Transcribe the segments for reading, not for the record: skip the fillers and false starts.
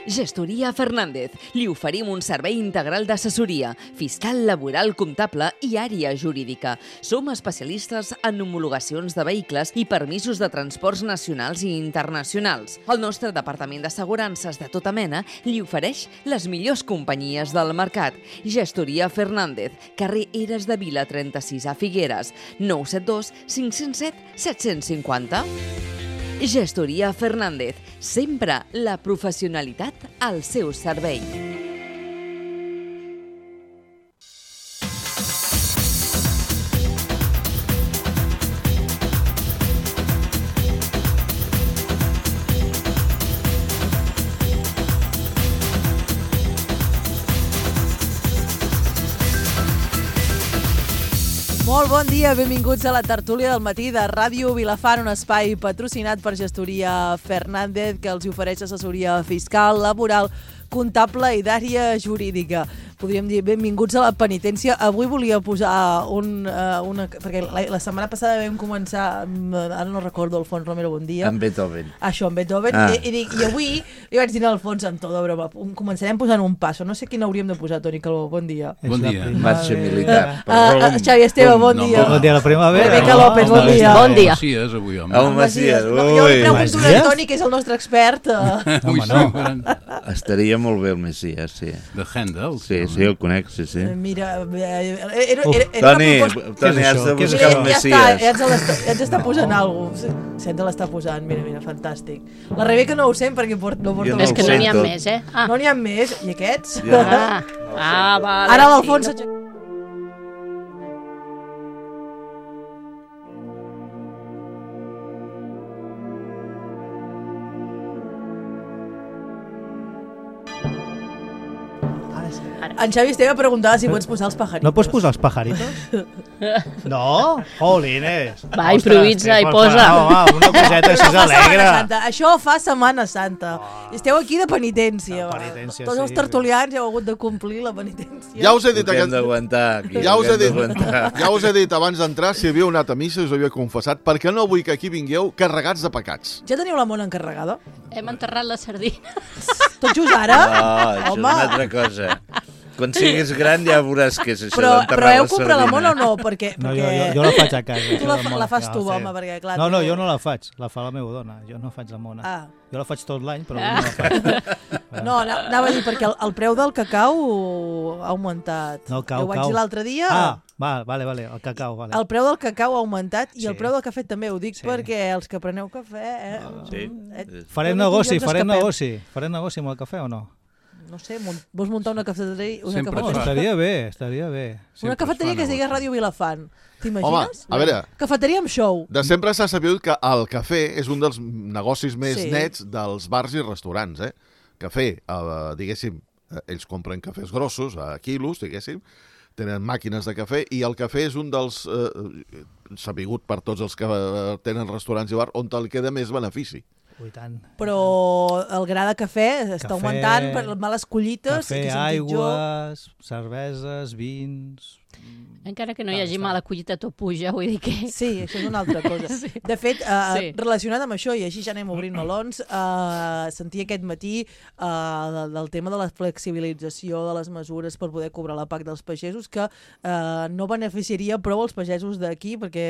Gestoria Fernández. Li oferim un servei integral d'assessoria, fiscal, laboral, comptable i àrea jurídica. Som especialistes en homologacions de vehicles i permisos de transports nacionals i internacionals. El nostre departament d'assegurances de tota mena li ofereix les millors companyies del mercat. Gestoria Fernández, carrer Eres de Vila 36 a Figueres, 972 507 750. Gestoria Fernández, sempre la professionalitat al seu servei. Molt bon dia, benvinguts a la tertúlia del matí de Ràdio Vilafant, un espai patrocinat per Gestoria Fernández que els ofereix assessoria fiscal, laboral, comptable i d'àrea jurídica. Podríem dir benvinguts a la penitència. Avui volia posar perquè la setmana passada vam començar, ara no recordo, Alfons Romero, bon dia. En Beethoven. Això, en Beethoven. I avui li vaig dir a Alfons amb tot de broma, començarem posant un passo. No sé quin hauríem de posar, Toni Calvo. Bon dia. Bon dia. Marxa militar. Xavi Esteve, bon dia. Bon dia a la primavera. Rebecca López, bon dia. Bon dia. Macies, avui, home. El Macias. Jo li pregunto a Toni, que és el nostre expert. Home, no. Estaria molt bé el Macias, sí. De Handel. Sí, el conec, sí. Mira, Toni, has de buscar el Macias. Ja ens està posant alguna cosa. Sí, ens l'està posant, mira, fantàstic. La Rebeca no ho sent perquè no porta... És que no n'hi ha més, eh? No n'hi ha més. I aquests? Ja. Vale. Ara l'Alfons... En Xavi Esteve preguntava si pots posar els pajaritos. No pots posar els pajaritos? No? Jolines. Va, improvisa i posa. Va, una coseta així alegre. Això fa Setmana Santa. Esteu aquí de penitència. De penitència, Tots els sí. tertulians heu hagut de complir la penitència. Ja us he dit Ho hem d'aguantar. Ja us he dit abans d'entrar si havíeu anat a missa i us havíeu confessat, perquè no vull que aquí vingueu carregats de pecats. Ja teniu la mona encarregada? Hem enterrat la sardina. Tot just ara? No, això és una altra cosa. Quan siguis gran ja veuràs què és això d'enterrar la sardina. Però heu comprat la mona o no? Perquè... No, jo la faig a casa. Tu la fas tu, home, perquè clar... No, jo no la faig, la fa la meva dona. Jo no faig la mona. Jo la faig tot l'any, però no la faig. No, anava a dir, perquè el preu del cacau ha augmentat. No, ho vaig dir l'altre dia. Vale, el cacau, vale. El preu del cacau ha augmentat i Sí. el preu del cafè també. Ho dic perquè els que preneu cafè... Farem negoci amb el cafè o no? No sé, vols muntar una cafeteria? Sempre No, estaria bé. Una cafeteria que es digués Ràdio Vilafant. T'imagines? Home, a veure... Cafeteria amb show. De sempre s'ha sabut que el cafè és un dels negocis més Sí. nets dels bars i restaurants, eh? Cafè, diguéssim, ells compren cafès grossos, a quilos, diguéssim, tenen màquines de cafè, i el cafè és un dels sabigut per tots els que tenen restaurants i bars on te'l queda més benefici. Ui, tant. Però el gra de cafè està augmentant per males collites. Cafè, aigües, cerveses, vins... Encara que no hi hagi mala collita, tot puja, vull dir que... Sí, això és una altra cosa. Sí. De fet, Sí. relacionat amb això, i així ja anem obrint melons, sentia aquest matí del tema de la flexibilització de les mesures per poder cobrar la PAC dels pagesos, que no beneficiaria prou els pagesos d'aquí, perquè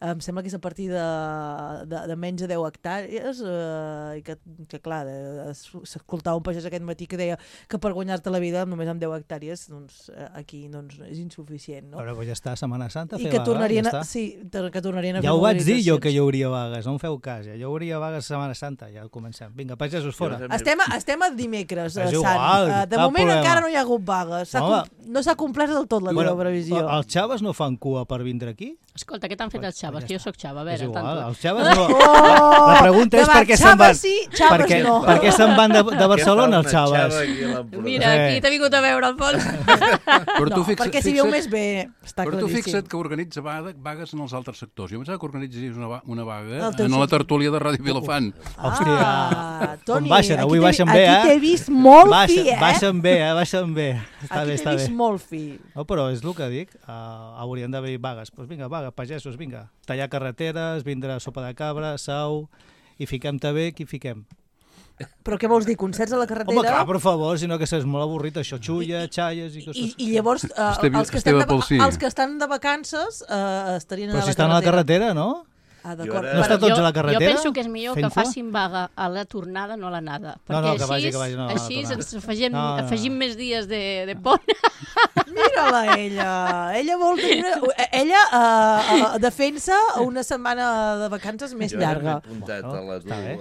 em sembla que és a partir de menys de 10 hectàrees, i que clar, s'escoltava un pagès aquest matí que deia que per guanyar-te la vida només amb 10 hectàrees, doncs aquí és insuficient, no? Però ja està Setmana Santa, I fer que vaga, tornarien ja està. que tornarien a fer Ja ho vaig dir jo que mobilitzacions. hi hauria vagues, no em feu cas. Ja hi hauria vagues a Setmana Santa, ja comencem. Vinga, pagesos, fora. Estem a dimecres, És Sant. igual, De cap moment problema. encara no hi ha hagut vagues. No s'ha complert del tot la teva previsió. Els xaves no fan cua per vindre aquí? Escolta, què t'han fet els xaves? Que jo sóc xava, a És veure, igual, tanto. els xaves no... La pregunta és per què se'n van... Sí, xaves no. Per què se'n van de Barcelona els xaves? Mira, aquí t'ha vingut a veure, Alfons. Però tu Perquè si viu més bé, està Però tu claríssim. fixa't que organitza vagues en els altres sectors. Jo pensava que organitzis una vaga El teu en la sector. tertúlia de Ràdio Vilafant. Toni, Com baixen, avui baixen bé, Aquí t'he vist molt fi, Baixen bé. Està bé, Aquí t'he vist molt fi. No, però és el que dic, haurien d'haver vagues. Doncs vinga, vaga, pagesos, vinga. Tallar carreteres, vindre sopa de cabra, sau, i fiquem-te bé, qui fiquem? Però què vols dir, concerts a la carretera? Home, clar, per favor, sinó que és molt avorrit, això, xulla, xalles i coses... I llavors, els que estan de vacances estarien a la carretera. Però si estan a la carretera, no? Ah, d'acord. No està tots a la carretera? Jo penso que és millor que facin vaga a la tornada, no a l'anada. Perquè així ens afegim més dies de pont. Mira-la, ella. Ella vol tenir... Ella defensa una setmana de vacances més llarga. Jo m'he apuntat a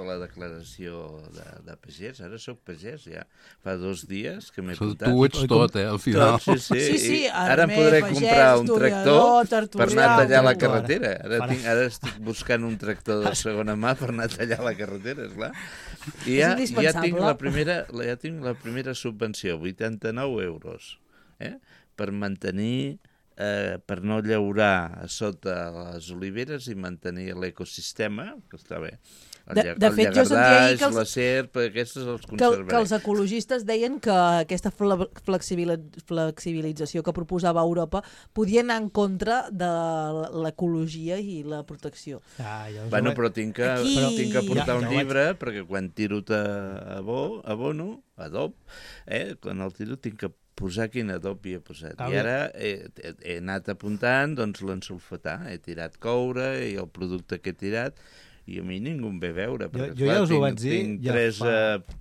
la declaració de pagès. Ara sóc pagès, ja. Fa 2 dies que m'he apuntat. Tu ets tot, al final. Sí, ara em podré comprar un tractor per anar a tallar la carretera. Ara estic buscant un tractor de segona mà per anar a tallar la carretera, esclar. I ja tinc la primera subvenció, 89 euros, per mantenir, per no llaurar a sota les oliveres i mantenir l'ecosistema, que està bé. De fet, jo sentia ahir que la serp, aquestes els conservaré. Que els ecologistes deien que aquesta flexibilització que proposava Europa podia anar en contra de l'ecologia i la protecció. Bueno, però tinc que portar un llibre, perquè quan tiro adob, quan el tiro tinc que posar quin adob hi he posat. I ara he anat apuntant l'ensulfatà. He tirat coure i el producte que he tirat, i a mi ningú em ve veure, perquè jo ja us ho vaig dir, tinc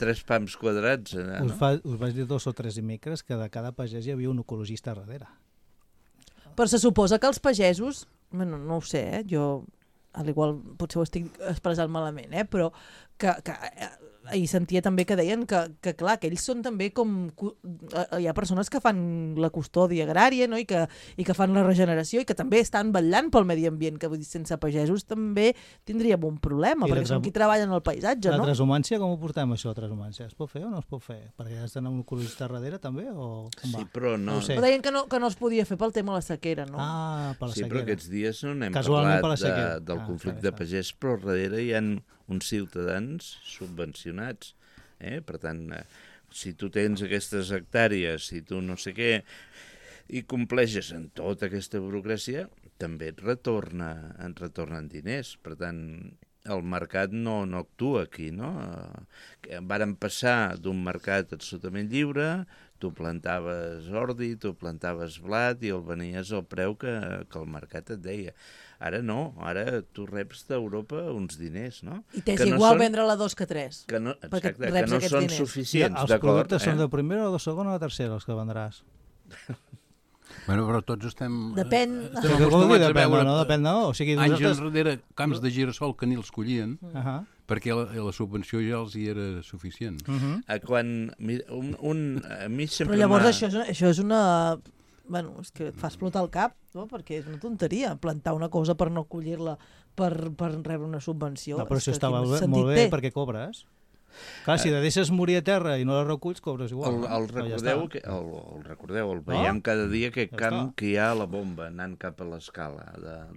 3 pams quadrats. Us vaig dir 2 o 3 dimecres que de cada pagès hi havia un ecologista darrere. Però se suposa que els pagesos, bueno, no ho sé, jo al igual potser ho estic expressant malament, però que i sentia també que deien que clar, que ells són també com... Hi ha persones que fan la custòdia agrària, no? I que fan la regeneració i que també estan vetllant pel medi ambient, que vull dir, sense pagesos també tindríem un problema, perquè són qui treballen al paisatge, no? La transhumància, com ho portem, això, la transhumància? Es pot fer o no es pot fer? Perquè has d'anar un ecologista darrere, també? Sí, però no... Però deien que no es podia fer pel tema de la sequera, no? Ah, per la sequera. Sí, però aquests dies no n'hem parlat del conflicte pagès, però darrere hi ha uns ciutadans subvencionats. Per tant, si tu tens aquestes hectàrees, si tu no sé què, i compleixes en tota aquesta burocràcia, també et retornen diners. Per tant, el mercat no actua aquí, no? Vàrem passar d'un mercat absolutament lliure, tu plantaves ordi, tu plantaves blat i el venies al preu que el mercat et deia. Ara no, ara tu reps d'Europa uns diners, no? I t'és igual vendre-la 2 que 3. Exacte, que no són suficients, d'acord. Els productes són de primera o de segona o de tercera, els que vendràs? Bueno, però tots estem... Depèn. Depèn, no? O sigui, anys enrere, camps de girassol que ni els collien, perquè la subvenció ja els hi era suficient. Quan a mi sempre... Però llavors això és una... Bueno, és que et fa explotar el cap, no? Perquè és una tonteria plantar una cosa per no collir-la per rebre una subvenció. No, però això estava molt bé perquè cobres. Clar, si la deixes morir a terra i no la reculls, cobres igual. El recordeu, el veiem cada dia aquest camp que hi ha a la bomba anant cap a l'escala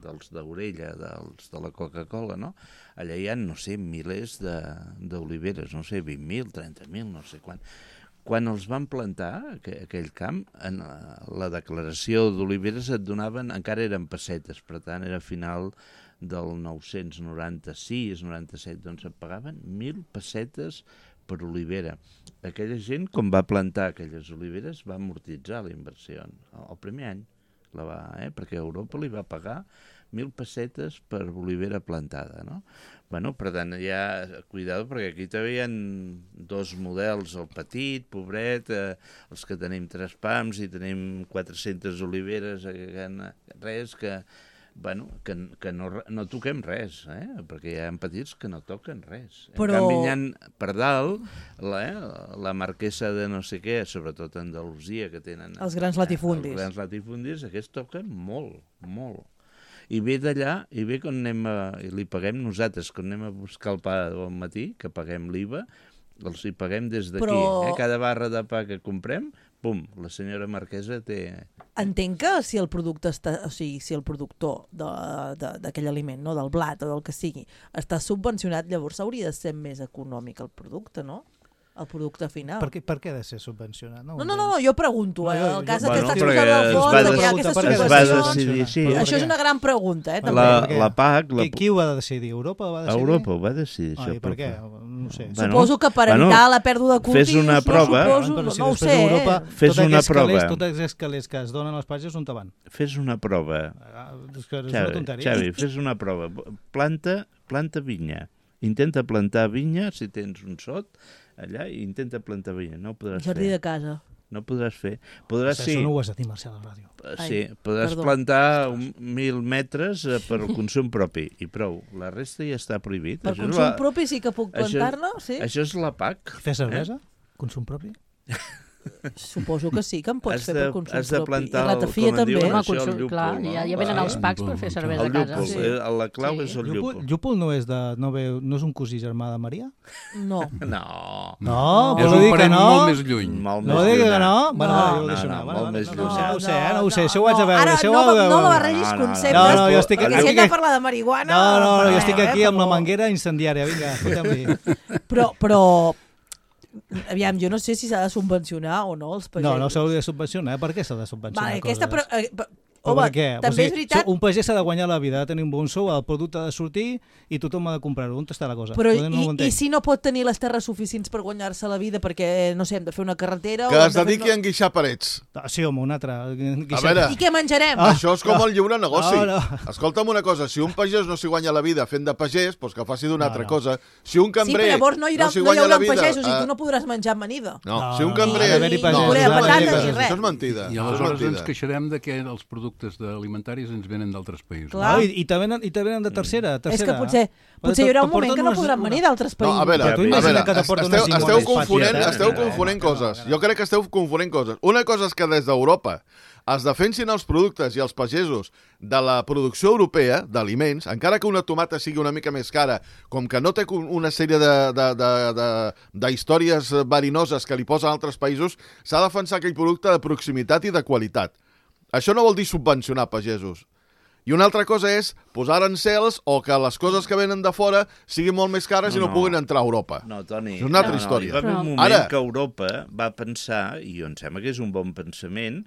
dels d'Orella, dels de la Coca-Cola, no? Allà hi ha, no sé, milers d'oliveres, no sé, 20.000, 30.000, no sé quant. Quan els van plantar, aquell camp, en la declaració d'oliveres et donaven, encara eren pessetes, per tant era final del 996-97, doncs et pagaven 1.000 pessetes per olivera. Aquella gent, com va plantar aquelles oliveres, va amortitzar la inversió el primer any, perquè Europa li va pagar 1.000 pessetes per olivera plantada, no? Bueno, per tant, ja, cuidado, perquè aquí també hi ha 2 models, el petit, pobret, els que tenim 3 pams i tenim 400 oliveres, res que no toquem res, perquè hi ha petits que no toquen res. Però... En canvi, hi ha per dalt la marquesa de no sé què, sobretot a Andalusia, que tenen... Els grans latifundis. Els grans latifundis, aquests toquen molt, molt. I ve d'allà, i ve quan i li paguem nosaltres, quan anem a buscar el pa al matí, que paguem l'IVA, els hi paguem des d'aquí. Però... Cada barra de pa que comprem, pum, la senyora marquesa té... Entenc que si el producte si el productor d'aquell aliment, no, del blat o del que sigui, està subvencionat, llavors hauria de ser més econòmic el producte, no? El producte final. Per què ha de ser subvencionat? No, jo pregunto. El cas que està exposat al fons, que hi ha aquestes subvencions... Això és una gran pregunta, també. La PAC... Qui ho va decidir? Europa ho va decidir? Europa ho va decidir, això. Per què? no sé. Suposo que per evitar la pèrdua de cultius... Fes una prova. No ho sé. Fes una prova. Tots els calés que es donen als pagesos, on te van? Fes una prova. Xavi, fes una prova. Planta vinya. Intenta plantar vinya, si tens un sot, allà, i intenta plantar vinya. No ho podràs fer. Jardí de casa. No podràs fer. Això no ho has de dir, Marcel, a la ràdio. Sí, podràs plantar 1.000 metres per consum propi, i prou. La resta ja està prohibit. Per consum propi sí que puc plantar-ne, sí? Això és la PAC. Fer cervesa? Consum propi? Suposo que sí, que em pots fer per consum propi. Has de plantar, I ratafia també. el llúpol. Clar, ja venen els packs per fer cervesa a casa. La clau és el llúpol. Llúpol no és un cosí germà de Maria? No. No, és un parent molt més lluny. No digui que no? Molt més lluny. No ho sé, això ho haig de veure. Ara no barregis conceptes, perquè si hem de parlar de marihuana... No, jo estic aquí amb la manguera incendiària, vinga, fotem-li. Però aviam, jo no sé si s'ha de subvencionar o no els pagesos. No s'hauria de subvencionar. Per què s'ha de subvencionar coses? Home, també és veritat... Un pagès s'ha de guanyar la vida, ha de tenir un bon sou, el producte ha de sortir i tothom ha de comprar-ho. On està la cosa? Però i si no pot tenir les terres suficients per guanyar-se la vida perquè, no sé, hem de fer una carretera... Que es dediqui a enguixar parets. Sí, home, un altre. A veure... I què menjarem? Això és com el lliure negoci. Escolta'm una cosa, si un pagès no s'hi guanya la vida fent de pagès, doncs que faci d'una altra cosa. Si un cambrer no s'hi guanya la vida... pagesos i tu no podràs menjar amanida. No, si un cambrer... Això és mentida. I aleshores ens queixarem que els productes alimentaris ens venen d'altres països. I te venen de tercera. És que potser hi haurà un moment que no podran venir d'altres països. No, a veure, esteu confonent coses. Jo crec que esteu confonent coses. Una cosa és que des d'Europa es defensin els productes i els pagesos de la producció europea d'aliments, encara que una tomata sigui una mica més cara, com que no té una sèrie d'històries verinoses que li posen altres països, s'ha de defensar aquell producte de proximitat i de qualitat. Això no vol dir subvencionar pagesos. I una altra cosa és posar arancels o que les coses que venen de fora siguin molt més cares i no puguin entrar a Europa. No, Toni. És una altra història. Hi va haver un moment que Europa va pensar, i em sembla que és un bon pensament,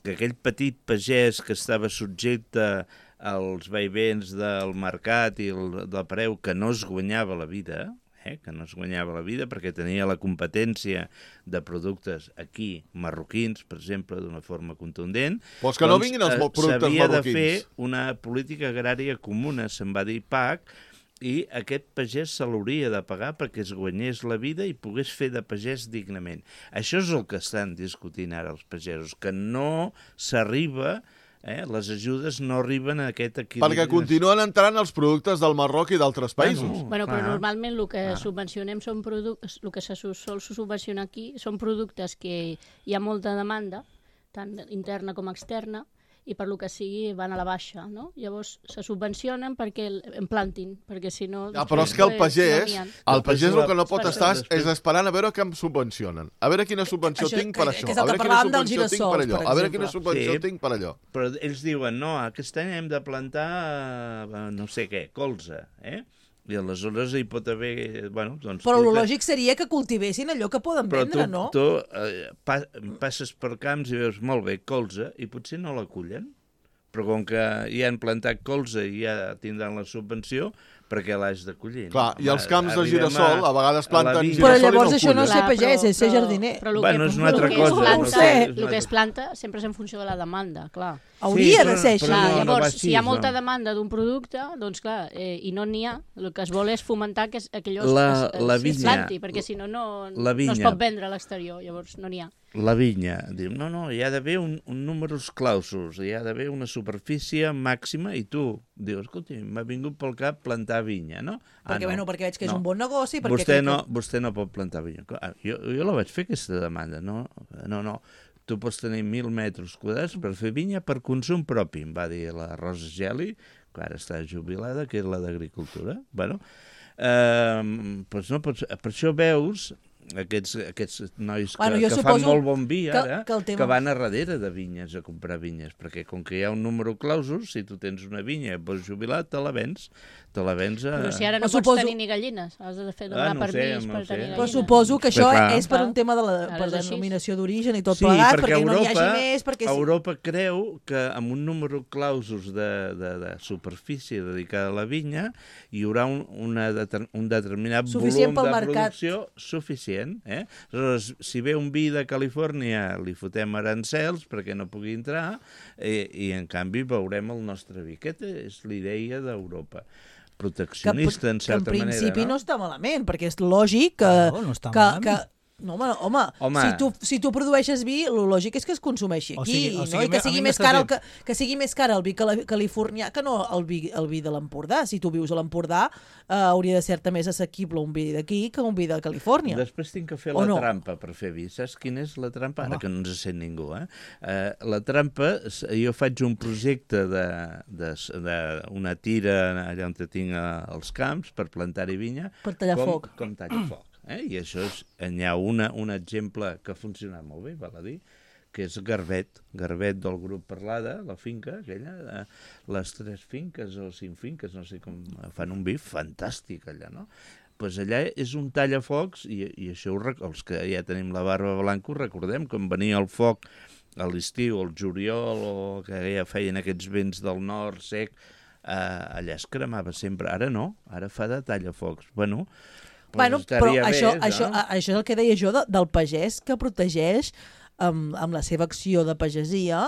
que aquell petit pagès que estava subjecte als vaivens del mercat i del preu que no es guanyava la vida, perquè tenia la competència de productes aquí, marroquins, per exemple, d'una forma contundent. Però que no vinguin els productes marroquins. S'havia de fer una política agrària comuna, se'n va dir PAC, i aquest pagès se l'hauria de pagar perquè es guanyés la vida i pogués fer de pagès dignament. Això és el que estan discutint ara els pagesos, que no s'arriba... les ajudes no arriben a aquest equilibri. Perquè continuen entrant els productes del Marroc i d'altres països. Però normalment el que subvencionem són productes, el que se sol subvencionar aquí són productes que hi ha molta demanda, tant interna com externa, i per lo que sigui van a la baixa, no? Llavors se subvencionen perquè en plantin, perquè si no... Però és que el pagès el que no pot estar és esperant a veure què em subvencionen. A veure quina subvenció tinc per això. A veure quina subvenció tinc per allò. A veure quina subvenció tinc per allò. Però ells diuen, no, aquest any hem de plantar no sé què, colza, I aleshores hi pot haver... Però el lògic seria que cultivessin allò que poden vendre, no? Però tu passes per camps i veus molt bé colza i potser no la cullen, però com que ja han plantat colza i ja tindran la subvenció, perquè l'has de collir. Clar, i els camps de girassol a vegades planten girassol i no Però llavors això no és ser pagès, és ser jardiner. Bueno, és una altra cosa. El que es planta sempre és en funció de la demanda, clar. Hauria de ser això. Llavors, si hi ha molta demanda d'un producte, doncs clar, i no n'hi ha, el que es vol és fomentar que aquello es planti, perquè si no, no es pot vendre a l'exterior, llavors no n'hi ha. La vinya, diu, no, hi ha d'haver un números clausos, hi ha d'haver una superfície màxima i tu dius, escolta, m'ha vingut pel cap plantar vinya, no? Perquè veig que és un bon negoci. Vostè no pot plantar vinya. Jo la vaig fer aquesta demanda, no. Tu pots tenir 1.000 metres quadrats per fer vinya per consum propi, em va dir la Rosa Geli, que ara està jubilada, que és la d'agricultura. Per això veus aquests nois que fan molt bon vi ara, que van a darrere de vinyes a comprar vinyes, perquè com que hi ha un número clausus, si tu tens una vinya i pots jubilar, te la vens a... Però si ara no pots tenir ni gallines, has de donar permís per tenir gallines. Però suposo que això és per un tema de la denominació d'origen i tot plegat, perquè no n'hi hagi més... Europa creu que amb un número clausus de superfície dedicada a la vinya hi haurà un determinat volum de producció suficient. Aleshores, si ve un vi de Califòrnia, li fotem arancels perquè no pugui entrar i en canvi veurem el nostre vi. Aquesta és la idea d'Europa. Proteccionista, en certa manera. Que en principi no està malament, perquè és lògic que no, home, si tu produeixes vi, el lògic és que es consumeixi aquí, i que sigui més car el vi californià que no el vi de l'Empordà. Si tu vius a l'Empordà, hauria de ser més assequible un vi d'aquí que un vi de Califòrnia. Després tinc que fer la trampa per fer vi. Saps quina és la trampa? Ara que no ens sent ningú. La trampa, jo faig un projecte d'una tira allà on tinc els camps per plantar-hi vinya. Per tallar foc. Com tallar foc. I això hi ha un exemple que ha funcionat molt bé, val a dir, que és Garbet del grup Parlada, la finca aquella, les 3 finques o 5 finques, no sé com, fan un vi fantàstic allà, no? Doncs allà és un tallafocs, i això els que ja tenim la barba blanca ho recordem, quan venia el foc a l'estiu, el juliol, o que ja feien aquests vents del nord sec, allà es cremava sempre. Ara no, ara fa de tallafocs. Bueno, però això és el que deia jo del pagès que protegeix amb la seva acció de pagesia,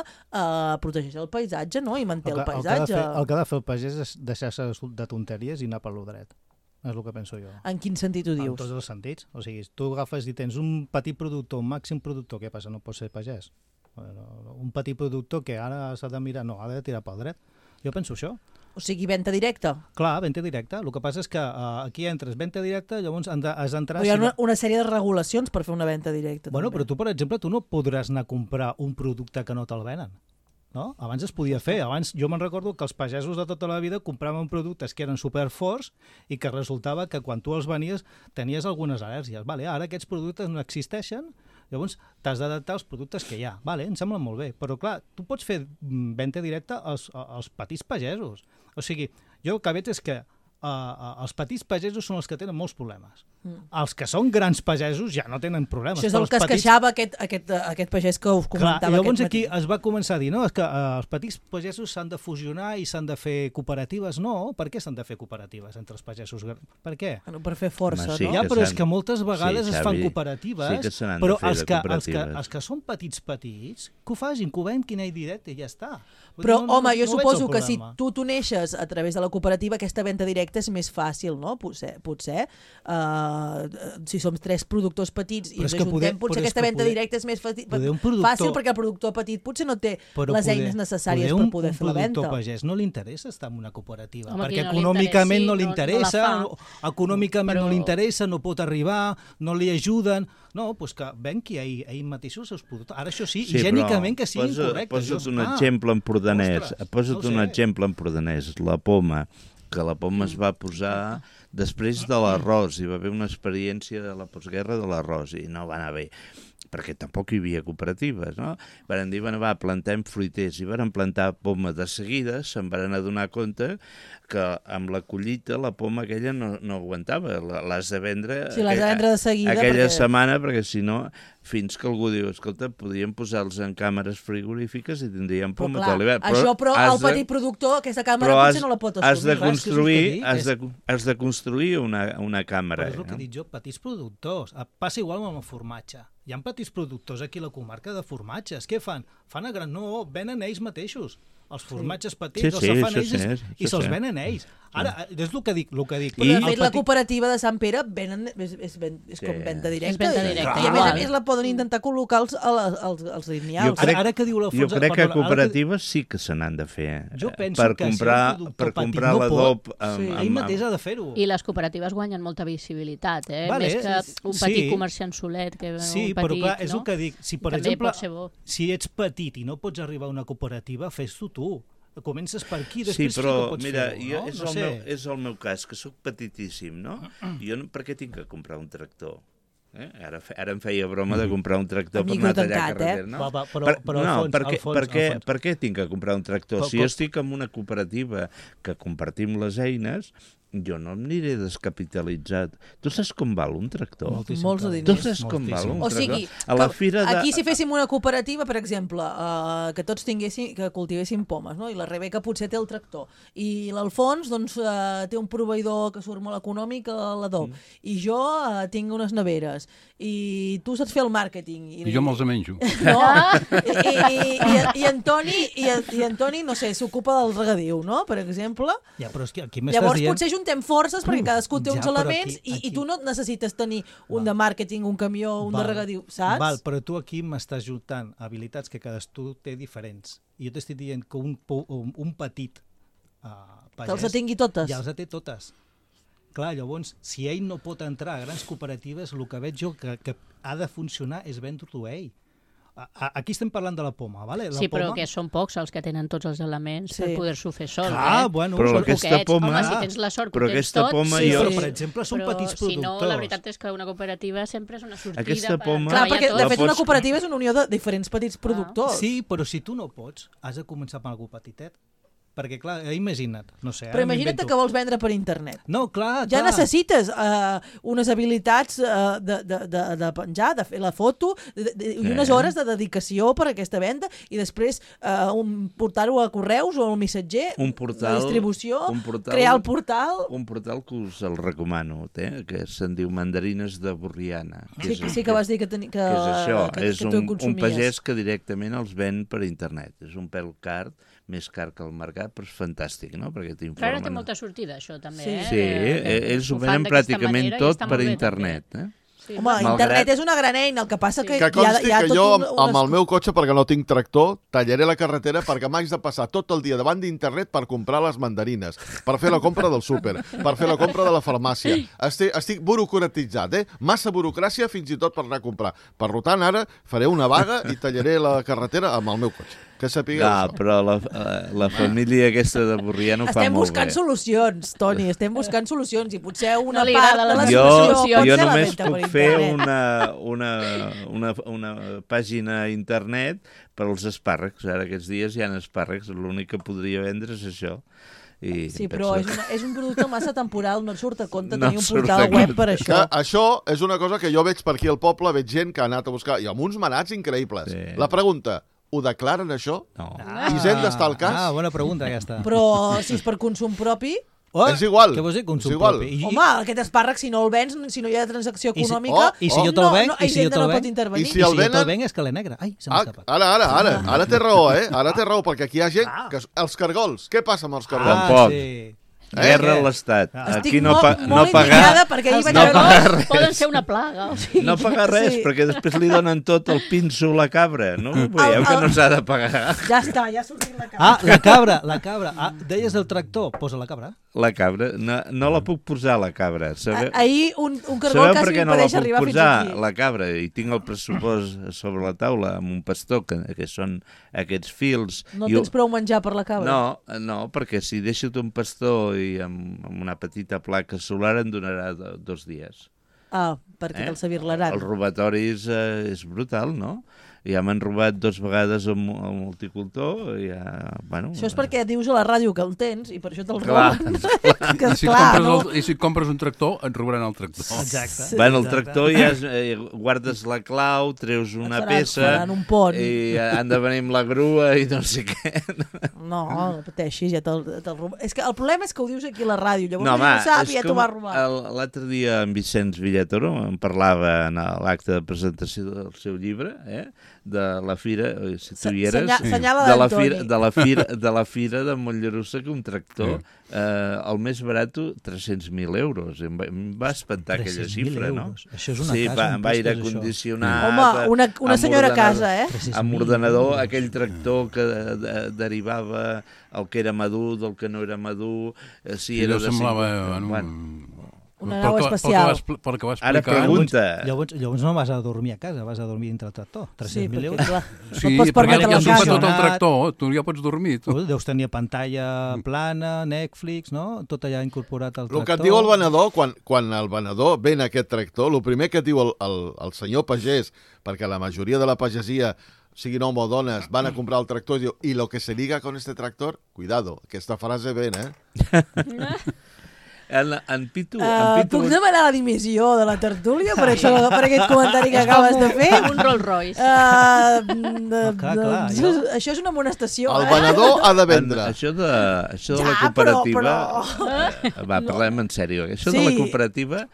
protegeix el paisatge, no? I manté el paisatge. El que ha de fer el pagès és deixar-se de tonteries i anar per lo dret. És el que penso jo. En quin sentit ho dius? En tots els sentits. O sigui, tu agafes i tens un petit productor, un màxim productor, què passa? No pot ser pagès. Un petit productor que ara s'ha de mirar, no, ha de tirar pel dret. Jo penso això. O sigui, venda directa? Clar, venda directa. El que passa és que aquí entres venda directa, llavors has d'entrar... Però hi ha una sèrie de regulacions per fer una venda directa. Bueno, també. Però tu, per exemple, tu no podràs anar a comprar un producte que no te'l venen. No? Abans es podia fer. Abans jo me'n recordo que els pagesos de tota la vida compraven productes que eren superforts i que resultava que quan tu els venies tenies algunes al·lèrgies. Vale, ara aquests productes no existeixen, llavors t'has d'adaptar als productes que hi ha. Vale, em sembla molt bé. Però clar, tu pots fer venda directa als petits pagesos. O sigui, jo el que veig és que els petits pagesos són els que tenen molts problemes. Els que són grans pagesos ja no tenen problemes. Això és el que es queixava aquest pagès que us comentava. Clar, i llavors aquí es va començar a dir, no, és que els petits pagesos s'han de fusionar i s'han de fer cooperatives. No, per què s'han de fer cooperatives entre els pagesos? Per què? Bueno, per fer força, no? Ja, però és que moltes vegades es fan cooperatives, però els que són petits, que ho facin, que ho veiem quina directa i ja està. Però, home, jo suposo que si tu t'uneixes a través de la cooperativa, aquesta venda directa és més fàcil, no? Potser si som 3 productors petits i ens ajuntem, potser aquesta venda directa és més fàcil perquè el productor petit potser no té les eines necessàries per poder fer la venda. Un productor pagès no li interessa estar en una cooperativa, perquè econòmicament no li interessa, no pot arribar, no li ajuden. No, doncs que venqui ell mateix els seus productors. Ara això sí, higiènicament que siguin correctes. Posa't un exemple empordanès, la poma, que la poma es va posar després de l'arròs, hi va haver una experiència de la postguerra de l'arròs i no va anar bé, perquè tampoc hi havia cooperatives, no? Van dir, plantem fruiters, i van plantar poma de seguida, se'n van adonar compte que amb la collita la poma aquella no aguantava, l'has de vendre de seguida aquella setmana, perquè si no, fins que algú diu, escolta, podríem posar-los en càmeres frigorífiques i tindríem poma tot l'hivern. Però el petit productor, aquesta càmera potser no la pot assumir. Has de construir una càmera. Però és el que dic jo, petits productors. Passa igual amb el formatge. Hi ha petits productors aquí a la comarca de formatges. Què fan? Fan a gran... No, venen ells mateixos. Els formatges petits els fan ells i se'ls venen ells. Ara, és el que dic. Però de fet la cooperativa de Sant Pere és com venda directa. I a més a més la poden intentar col·locar als lineals. Jo crec que cooperatives sí que se n'han de fer. Per comprar l'adob. Ell mateix ha de fer-ho. I les cooperatives guanyen molta visibilitat, més que un petit comerciant solet. Sí, però clar, és el que dic. Si, per exemple, si ets petit i no pots arribar a una cooperativa, fes-ho tu. Comences per aquí, després sí que pots fer-ho, no? És el meu cas, que sóc petitíssim, no? Jo per què tinc que comprar un tractor? Ara em feia broma de comprar un tractor per anar a tallar carretera. No? Per què tinc que comprar un tractor? Si jo estic en una cooperativa que compartim les eines, jo no em aniré descapitalitzat. Tu saps com val un tractor? Molts de diners. Tu saps com val un tractor? O sigui, a la fira aquí si féssim una cooperativa, per exemple, que tots que cultivéssim pomes, no? I la Rebeca potser té el tractor, i l'Alfons doncs, té un proveïdor que surt molt econòmic a l'Adó, i jo tinc unes neveres, i tu saps fer el màrqueting. I jo me'ls menjo. No, i Antoni, no sé, s'ocupa del regadiu, no?, per exemple. Ja, però és que aquí llavors potser juntem forces perquè cadascú té uns elements i tu no necessites tenir un de màrqueting, un camió, un de regadiu, saps? Val, però tu aquí m'estàs juntant habilitats que cadascú té diferents. I jo t'estic dient que un petit pagès... Que els tingui totes. Ja els té totes. Clar, llavors, si ell no pot entrar a grans cooperatives, el que veig jo que ha de funcionar és vendre-ho a ell. Aquí estem parlant de la poma, ¿vale? Sí, però que són pocs els que tenen tots els elements per poder-s'ho fer sol. Bueno, però aquesta poma... Home, si tens la sort que ho tens tot... Però, per exemple, són petits productors. Si no, la veritat és que una cooperativa sempre és una sortida aquesta poma... Clar, perquè de fet una cooperativa és una unió de diferents petits productors. Sí, però si tu no pots, has de començar amb algú petitet. Perquè, clar, imagina't, no sé... Però imagina't que vols vendre per internet. No, clar. Ja necessites unes habilitats de penjar, de fer la foto, i unes hores de dedicació per a aquesta venda, i després portar-ho a correus o al missatger, la distribució, crear el portal... Un portal que us el recomano, que se'n diu Mandarines de Borriana. Sí que vas dir que és això, és un pagès que directament els ven per internet. És un pèl car, més car que el mercat, però és fantàstic, no? Perquè t'informen... Però ara té molta sortida, això, també. Sí, ells ho venen pràcticament tot per internet. Sí. Home, internet és una gran eina, el que passa que consti que jo, amb el meu cotxe, perquè no tinc tractor, tallaré la carretera perquè m'haig de passar tot el dia davant d'internet per comprar les mandarines, per fer la compra del súper, per fer la compra de la farmàcia. Estic burocratitzat, Massa burocràcia fins i tot per anar a comprar. Per tant, ara faré una vaga i tallaré la carretera amb el meu cotxe. Que sapigueu això. Però la família aquesta de Borrià no fa molt bé. Estem buscant solucions, Toni, estem buscant solucions, i potser una part de la solució... Jo només puc fer una pàgina a internet per als espàrrecs. Ara aquests dies hi ha espàrrecs, l'únic que podria vendre és això. Sí, però és un producte massa temporal, no et surt a compte tenir un portal web per això. Això és una cosa que jo veig per aquí al poble, veig gent que ha anat a buscar, i amb uns manats increïbles. La pregunta... Ho declaren, això? No. Hisenda està al cas? Bona pregunta, aquesta. Però si és per consum propi... És igual. Què vols dir, consum propi? Home, aquest espàrrec, si no el vens, si no hi ha transacció econòmica... I si jo te'l venc? I si no pot intervenir. I si el venc és que l'he negre. Ai, se m'ha escapat. Ara té raó, Ara té raó, perquè aquí hi ha gent... Els cargols. Què passa amb els cargols? Tampoc. Guerra a l'Estat. Aquí no pagar poden ser una plaga. No pagar res, perquè després li donen tot el pinso a la cabra. No? Veieu que no s'ha de pagar. Ja està, ja ha sortit la cabra. La cabra. Deies el tractor, posa la cabra. La cabra, no la puc posar, la cabra. Ahir un cargol quasi impedeix arribar fins aquí. Sabeu per què no la puc posar, la cabra? I tinc el pressupost sobre la taula amb un pastor, que són aquests fils. No tens prou menjar per la cabra? No, perquè si deixo un pastor i amb una petita placa solar em donarà 2 dies. Perquè te'l savirlaran. El robatori és brutal, no? Ja m'han robat 2 vegades el multicultor. Això és perquè dius a la ràdio que el tens i per això te'l roben. I si compres un tractor, et robaran el tractor. Exacte. El tractor ja guardes la clau, treus una peça i han de venir amb la grua i no sé què. No pateixis, ja te'l roben. És que el problema és que ho dius aquí a la ràdio, llavors no sap i ja t'ho va robar. L'altre dia en Vicenç Villatoro em parlava en l'acte de presentació del seu llibre, de la fira, si tu hi eres, de la fira de Mollerussa, que un tractor, el més barat, 300.000 euros. Em va espantar aquella xifra, no? Això és una casa. Amb aire condicionat. Home, una senyora casa, amb ordenador, aquell tractor que derivava el que era madur del que no era madur, si era de... Una nau espacial. Pel que va explicar... Ara pregunta... Llavors no vas a dormir a casa, vas a dormir dintre el tractor. 300.000 euros. Clar, Sí, perquè ja s'ho fa tot el tractor, tu ja pots dormir. Deus tenir pantalla plana, Netflix, no? Tot allà incorporat al tractor. El que et diu el venedor, quan el venedor ven aquest tractor, el primer que et diu el senyor pagès, perquè la majoria de la pagesia, siguin home o dones, van a comprar el tractor i diu, i lo que se liga con este tractor, cuidado, aquesta frase ven, En Pitu... Puc demanar la dimissió de la tertúlia per aquest comentari que acabes de fer? Un Rolls Royce. Això és una amonestació. El venedor ha de vendre. Això de la cooperativa... Va, parlem en sèrio. Això de la cooperativa...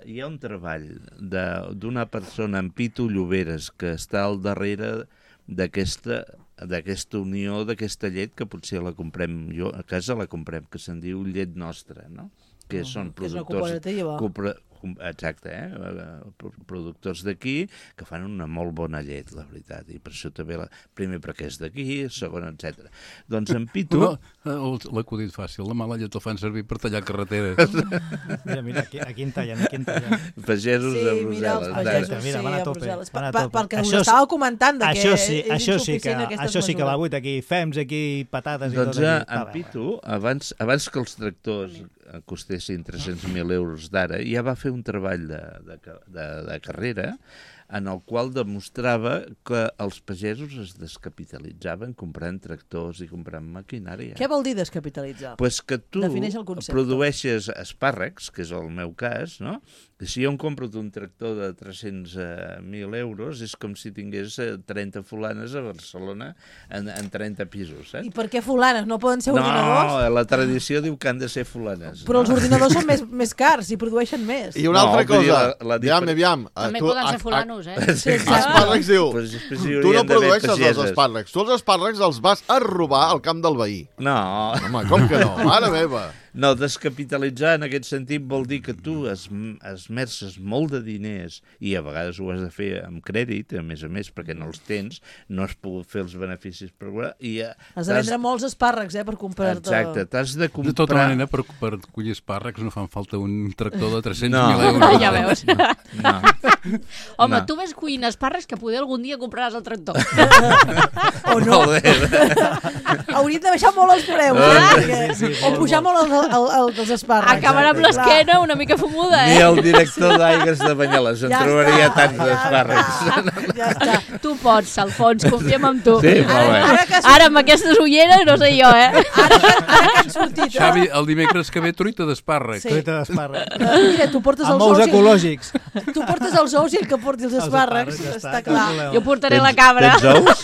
hi ha un treball d'una persona, en Pitu Lloberes, que està al darrere d'aquesta unió, d'aquesta llet, que potser la comprem jo, a casa la comprem, que se'n diu Llet Nostra, no? Que són productors... Que és una cooperativa. Exacte, productors d'aquí que fan una molt bona llet, la veritat, i per això també, primer perquè és d'aquí, segon, etc. Doncs en Pitu... L'acudit fàcil, la mala llet el fan servir per tallar carreteres. Mira, aquí en tallen, Pagesos a Brussel·les. Sí, mira, els pagesos, van a tope. Perquè us estava comentant que és insuficient aquesta Això sí que va buit, aquí fems, aquí patates i tot. Doncs en Pitu, abans que els tractors costessin 300.000 euros d'ara, ja va fer un treball de carrera en el qual demostrava que els pagesos es descapitalitzaven comprant tractors i comprant maquinària. Què vol dir descapitalitzar? Pues que tu produeixes espàrrecs, que és el meu cas, no? Si jo em compro un tractor de 300.000 euros, és com si tingués 30 fulanes a Barcelona en 30 pisos. I per què fulanes? No poden ser ordinadors? No, la tradició diu que han de ser fulanes. Però els ordinadors són més cars i produeixen més. I una altra cosa, aviam. També poden ser fulanos, Espàrrecs diu, tu no produeixes els espàrrecs, tu els espàrrecs els vas a robar al camp del veí. No. Home, com que no? Mare meva. No, descapitalitzar en aquest sentit vol dir que tu esmerces molt de diners i a vegades ho has de fer amb crèdit, a més, perquè no els tens, no has pogut fer els beneficis per veure... Has de vendre molts espàrrecs, per comprar-te... Exacte, t'has de comprar... De tota manera, per collir espàrrecs no fan falta un tractor de 300.000 euros. Ja veus. No. Home, tu ves cuint espàrrecs que poder algun dia compraràs el tractor. O no. Hauríem de baixar molt els preus, o pujar molt els espàrrecs. Acabarà amb l'esquena una mica fumuda, Ni el director d'Aigues de Banyoles en trobaria tants espàrrecs. Ja està. Tu pots, Alfons, confiem en tu. Sí, molt bé. Ara amb aquestes ulleres no sé jo, Ara que han sortit... Xavi, el dimecres que ve truita d'espàrrecs. Truita d'espàrrecs. Mira, tu portes els ous... Amb ous ecològics. Tu portes els ous i el que porti els espàrrecs, està clar. Jo portaré la cabra. Tens ous?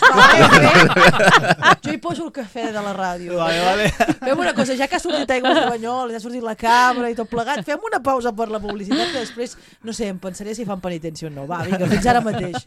Jo hi poso el cafè de la ràdio. Vale. Fem una cosa, ja que ha sortit Aigües de Banyoles, ja ha sortit la cabra i tot plegat, fem una pausa per la publicitat que després, no sé, em pensaré si fan penitència o no. Va, vinga, fins ara mateix.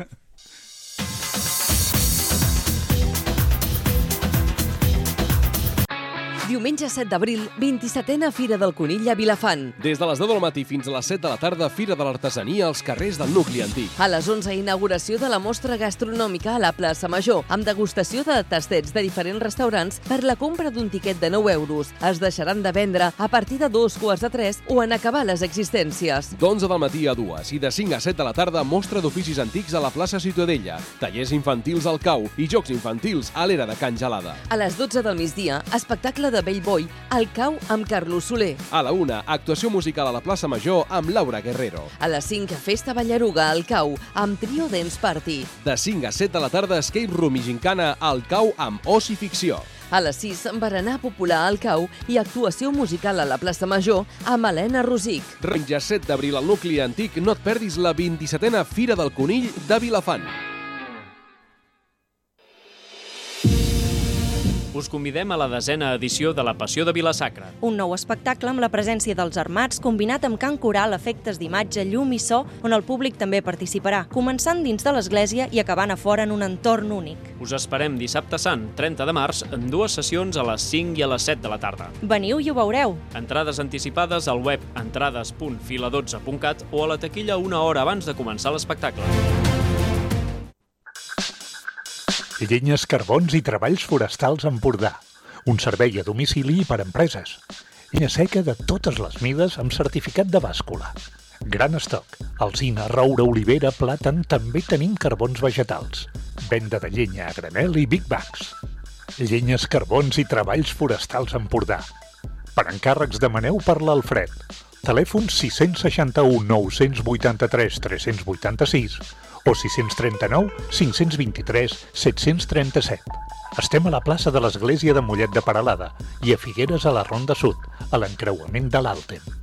Diumenge 7 d'abril, 27a Fira del Conill a Vilafant. Des de les 10 del matí fins a les 7 de la tarda, Fira de l'Artesania als carrers del nucli antic. A les 11, inauguració de la mostra gastronòmica a la plaça Major, amb degustació de tastets de diferents restaurants per la compra d'un tiquet de 9 euros. Es deixaran de vendre a partir de 2:45 o en acabar les existències. D'11 del matí a 2 i de 5 a 7 de la tarda, mostra d'oficis antics a la plaça Ciutadella, tallers infantils al Cau i jocs infantils a l'era de Can Gelada. A les 12 del migdia, espectacle de Bellboy al Cau amb Carlos Soler. A la 1, actuació musical a la plaça Major amb Laura Guerrero. A les 5, festa ballaruga al Cau amb Trio Dance Party. De 5 a 7 de la tarda, escape room i gincana al Cau amb Oci Ficció. A les 6, berenar popular al Cau i actuació musical a la plaça Major amb Helena Rosic. Diumenge 7 d'abril al nucli antic, no et perdis la 27a Fira del Conill de Vilafant. Us convidem a la 10a edició de la Passió de Vila-sacra. Un nou espectacle amb la presència dels armats combinat amb cant coral, efectes d'imatge, llum i so, on el públic també participarà, començant dins de l'església i acabant a fora en un entorn únic. Us esperem dissabte sant, 30 de març, en 2 sessions a les 5 i a les 7 de la tarda. Veniu i ho veureu. Entrades anticipades al web entrades.fila12.cat o a la taquilla una hora abans de començar l'espectacle. Llenyes, carbons i treballs forestals Empordà. Un servei a domicili per a empreses. Llenya seca de totes les mides amb certificat de bàscula. Gran estoc. Alzina, roure, olivera, plàtan, també tenim carbons vegetals. Venda de llenya a granel i Big Bags. Llenyes, carbons i treballs forestals a Empordà. Per encàrrecs demaneu per l'Alfred. Telèfon 661 983 386 o 639 523 737. Estem a la plaça de l'Església de Mollet de Peralada i a Figueres a la Ronda Sud, a l'encreuament de l'Àltem.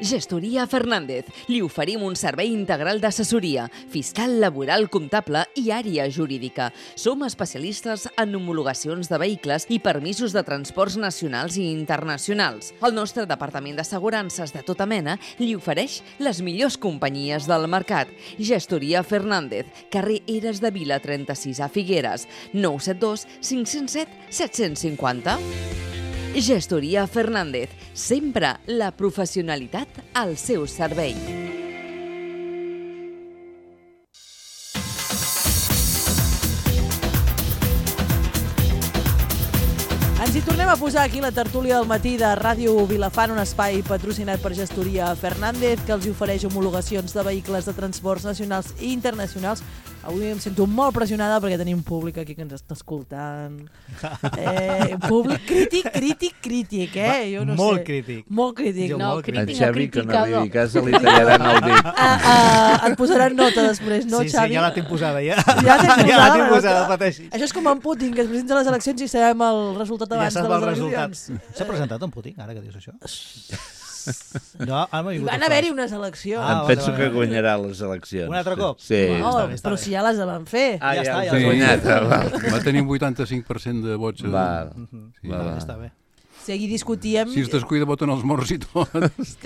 Gestoria Fernández. Li oferim un servei integral d'assessoria, fiscal, laboral, comptable i àrea jurídica. Som especialistes en homologacions de vehicles i permisos de transports nacionals i internacionals. El nostre departament d'assegurances de tota mena li ofereix les millors companyies del mercat. Gestoria Fernández, carrer Eres de Vila 36 a Figueres, 972 507 750. Gestoria Fernández, sempre la professionalitat al seu servei. Ens hi tornem a posar aquí la tertúlia del matí de Ràdio Vilafant, un espai patrocinat per Gestoria Fernández, que els ofereix homologacions de vehicles de transports nacionals i internacionals. Avui em sento molt pressionada perquè tenim públic aquí que ens està escoltant. Públic crític, Jo no molt sé. Crític. Molt crític. No, En crític Xavi, que no li cas, li tallaran el dit. Et posaran nota després, no, sí, Xavi? Sí, ja la tinc posada, ja. Ja la tinc posada, pateixis. Això és com en Putin, que es presenta a les eleccions i sabem el resultat abans de les eleccions. S'ha presentat en Putin, ara que dius això? No, van haver-hi unes eleccions. Em penso que guanyarà les eleccions. Un altre cop? Sí. Però si ja les van fer. Ja està, ja guanyat. Va tenir un 85% de vots. Està bé. Si ahir discutíem... Si es descuida voten els morts i tot.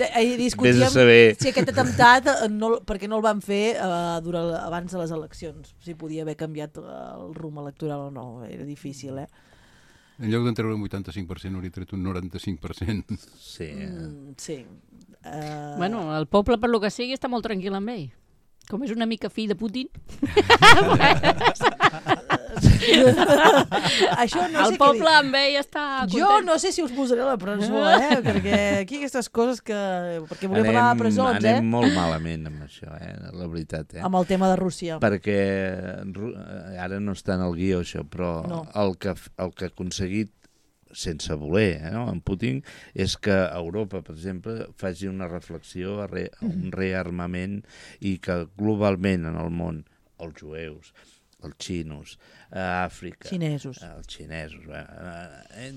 Ahir discutíem si aquest atemptat, perquè no el van fer abans de les eleccions. Si podia haver canviat el rumb electoral o no. Era difícil, En lloc d'en treure un 85%, hauria tret un 95%. Sí. Sí. Bueno, el poble, per lo que sigui, està molt tranquil amb ell. Com és una mica fill de Putin. Això no el sé poble amb ell està content. Jo no sé si us posaré a la presó, perquè aquí aquestes coses que... Perquè volem parlar de presons, Anem molt malament amb això, la veritat. Amb el tema de Rússia. Perquè ara no està en el guió això, però no. el que ha aconseguit sense voler, en Putin, és que Europa, per exemple, faci una reflexió, un rearmament i que globalment en el món, els jueus, els xinos, a Àfrica... Xinesos. Els xinesos.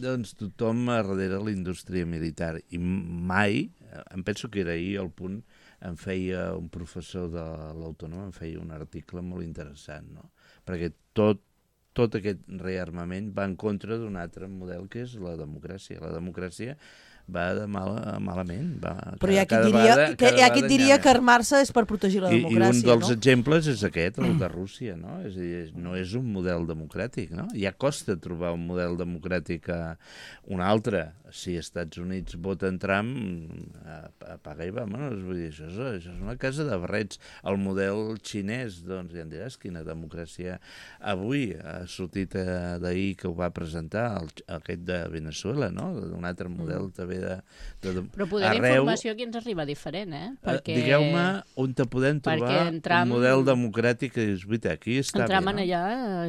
Doncs tothom darrere la indústria militar. I mai, em penso que era ahir el punt, em feia un professor de l'Autònoma, em feia un article molt interessant, no? Perquè tot aquest rearmament va en contra d'un altre model que és la democràcia. La democràcia va de malament. Però hi ha qui diria que armar-se és per protegir la democràcia, I un dels exemples és aquest, el de Rússia, no? És a dir, no és un model democràtic, no? Ja costa trobar un model democràtic un altre. Si als Estats Units voten Trump, apaga i vámonos. Vull dir, això és una casa de barrets. El model xinès, doncs ja em diràs quina democràcia. Avui ha sortit d'ahir que ho va presentar aquest de Venezuela, no? Un altre model també de però poder informació aquí ens arriba diferent, Perquè... Digueu-me on te podem trobar un model democràtic que és veritat, aquí està bé, no? Allà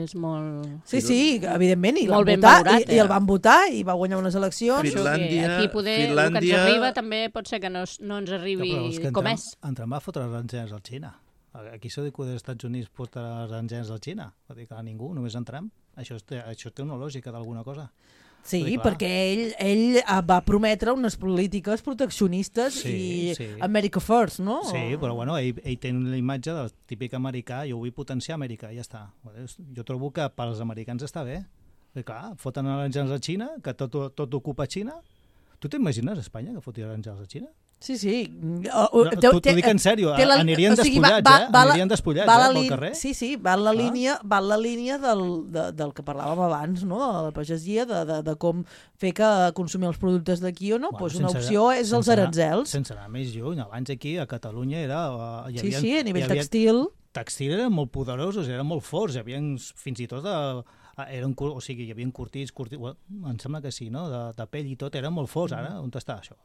és molt... Sí, evidentment, i el van votar i va guanyar unes eleccions. Aquí poder, el que ens arriba també pot ser que no ens arribi com és. En Trump va fotre les engenes al Xina. Aquí s'ha dit que els Estats Units fotre les engenes al Xina. Va dir que ningú, només en Trump. Això té una lògica d'alguna cosa. Sí, perquè ell va prometre unes polítiques proteccionistes i America First, no? Sí, però bueno, ell té la imatge del típic americà, jo vull potenciar Amèrica, ja està. Jo trobo que pels americans està bé. Perquè clar, foten aranjals a Xina, que tot ocupa Xina. Tu t'imagines a Espanya que fotin aranjals a Xina? Sí. T'ho dic en sèrio, anirien despullats, anirien despullats pel carrer. Sí, va en la línia del que parlàvem abans, no? De la pagesia, de com fer que consumir els productes d'aquí o no. Pues una opció és els aranzels. Sense anar més lluny, abans aquí a Catalunya era... Sí, a nivell textil. Textil eren molt poderosos, eren molt forts, hi havia fins i tot o sigui, hi havia curtits, em sembla que sí, no? De pell i tot, era molt fos, ara, on està això?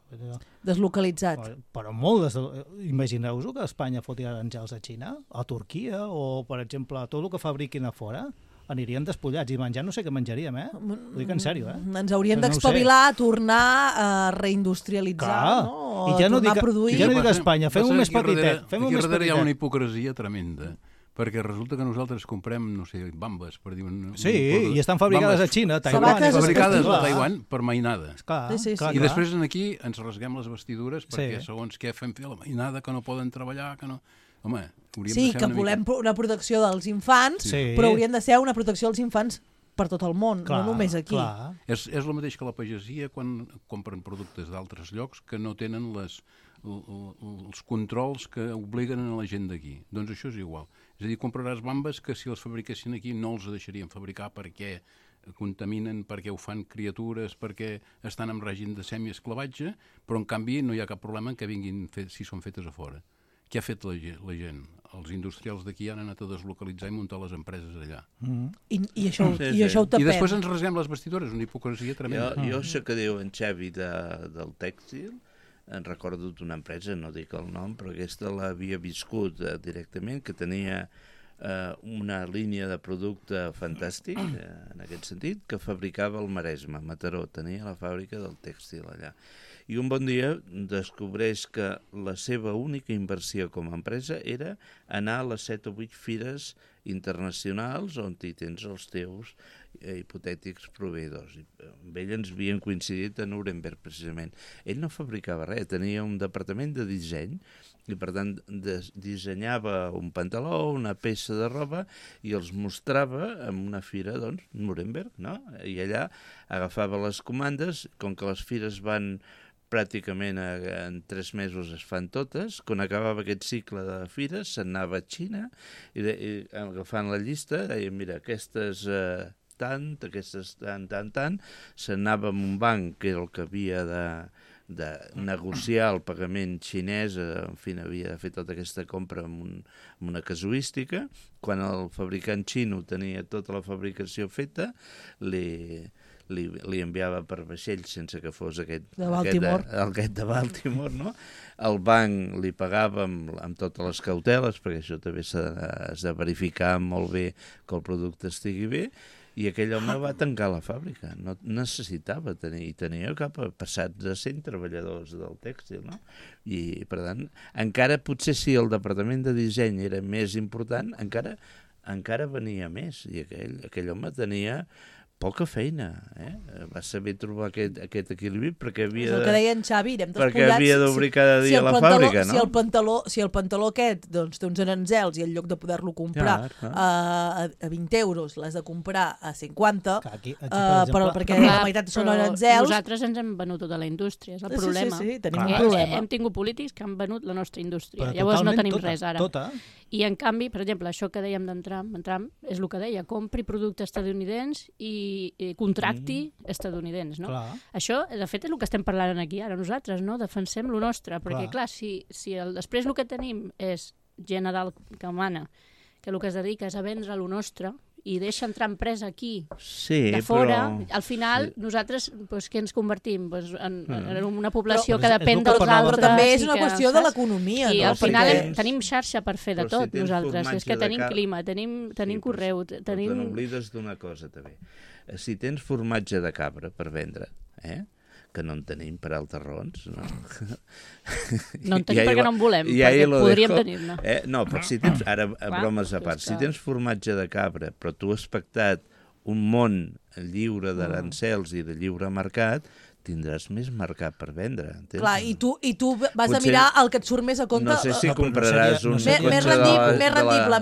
Deslocalitzat. Però molt, imagineu-vos que Espanya foti àngels a Xina, a Turquia, o, per exemple, tot el que fabriquin a fora, anirien despullats, i menjar no sé què menjaríem, Ho dic en sèrio, Ens hauríem d'espavilar, tornar a reindustrialitzar, no? I ja no tornar a produir. Ja no dic a Espanya, fem-ho més petitet. Aquí darrere hi ha una hipocresia tremenda, perquè resulta que nosaltres comprem, no sé, bambes, per dir... Sí, i estan fabricades a Xina, a Taiwan. Fabricades a Taiwan per mainada. I després aquí ens rasguem les vestidures perquè segons què fem fer la mainada, que no poden treballar, que no... Home, sí, que volem una protecció dels infants, però hauríem de ser una protecció dels infants per tot el món, no només aquí. És el mateix que la pagesia quan compren productes d'altres llocs que no tenen els controls que obliguen a la gent d'aquí. Doncs això és igual. És a dir, compraràs bambes que si les fabriquessin aquí no els deixarien fabricar perquè contaminen, perquè ho fan criatures, perquè estan en règim de semiesclavatge, però en canvi no hi ha cap problema en que vinguin si són fetes a fora. Què ha fet la gent? Els industrials d'aquí han anat a deslocalitzar i muntar les empreses allà. I això ho tapem. I després ens rasguem les vestidures, una hipocresia tremenda. Jo sé que diu en Xavi del tèxtil, en recordo d'una empresa, no dic el nom, però aquesta l'havia viscut directament, que tenia una línia de producte fantàstic, en aquest sentit, que fabricava al Maresme, Mataró, tenia la fàbrica del tèxtil allà. I un bon dia descobreix que la seva única inversió com a empresa era anar a les 7 o 8 fires internacionals on hi tens els teus hipotètics proveïdors. Amb ell ens havien coincidit a Nuremberg, precisament. Ell no fabricava res, tenia un departament de disseny i, per tant, dissenyava un pantaló, una peça de roba i els mostrava en una fira, doncs, Nuremberg, no? I allà agafava les comandes, com que les fires van pràcticament en 3 mesos es fan totes, quan acabava aquest cicle de fires s'anava a Xina i agafant la llista deia, mira, aquestes tant, aquestes tant, s'anava a un banc que era el que havia de negociar el pagament xinès, en fi, havia de fer tota aquesta compra amb una casuística. Quan el fabricant xino tenia tota la fabricació feta, li enviava per vaixell sense que fos aquest de Baltimore, no? El banc li pagava amb totes les cauteles, perquè això també s'ha de verificar molt bé que el producte estigui bé, i aquell home va tancar la fàbrica. No necessitava tenir, i tenia passat de 100 treballadors del tèxtil, no? I, per tant, encara potser si el departament de disseny era més important, encara venia més, i aquell home tenia poca feina, va saber trobar aquest equilibri perquè havia el que deia en Xavi, d'obrir cada dia a la fàbrica, no? Si el pantaló aquest doncs, té uns aranzels i en lloc de poder-lo comprar a 20 euros l'has de comprar a 50, perquè la meitat són aranzels. Nosaltres ens hem venut tota la indústria, és el problema. Sí, tenim un problema. Hem tingut polítics que han venut la nostra indústria, llavors no tenim res ara. I en canvi, per exemple, això que dèiem d'en Trump és el que deia, compri productes estadounidencs i contracti estadounidencs, no? Això, de fet, és el que estem parlant aquí ara nosaltres, no? Defensem lo nostre, perquè clar, si després el que tenim és gent a dalt que mana, que el que es dedica és a vendre lo nostre, i deixa entrar empresa aquí, de fora, al final nosaltres, què ens convertim? En una població que depèn dels altres. Però també és una qüestió de l'economia. I al final tenim xarxa per fer de tot, nosaltres. És que tenim clima, tenim correu, tenim... Però n'oblides d'una cosa, també. Si tens formatge de cabra per vendre, que no en tenim per altres raons. No en tenim perquè no en volem, perquè podríem tenir-ne. No, però si tens, ara bromes a part, si tens formatge de cabra, però tu has pactat un món lliure d'arancels i de lliure mercat, tindràs més mercat per vendre. Clar, i tu vas a mirar el que et surt més a compte. No sé si compraràs un més rendible,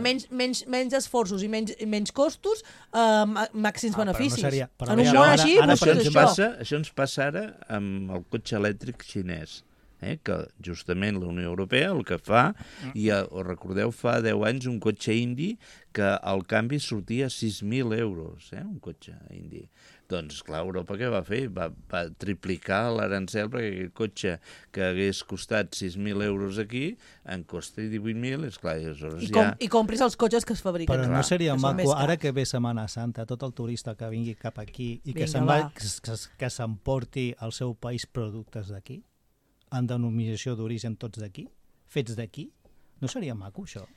menys esforços i menys costos, màxims beneficis. En un món així, això ens passa ara amb el cotxe elèctric xinès. que justament la Unió Europea el que fa, i recordeu, fa 10 anys un cotxe indi que al canvi sortia 6.000 euros, un cotxe indi. Doncs, clar, Europa què va fer? Va triplicar l'arancel perquè aquell cotxe que hagués costat 6.000 euros aquí en costa 18.000, esclar, i aleshores ja... I compris els cotxes que es fabriquen. Però no seria maco, ara que ve Setmana Santa, tot el turista que vingui cap aquí i que s'emporti al seu país productes d'aquí, en denominació d'origen tots d'aquí, fets d'aquí? No seria maco, això?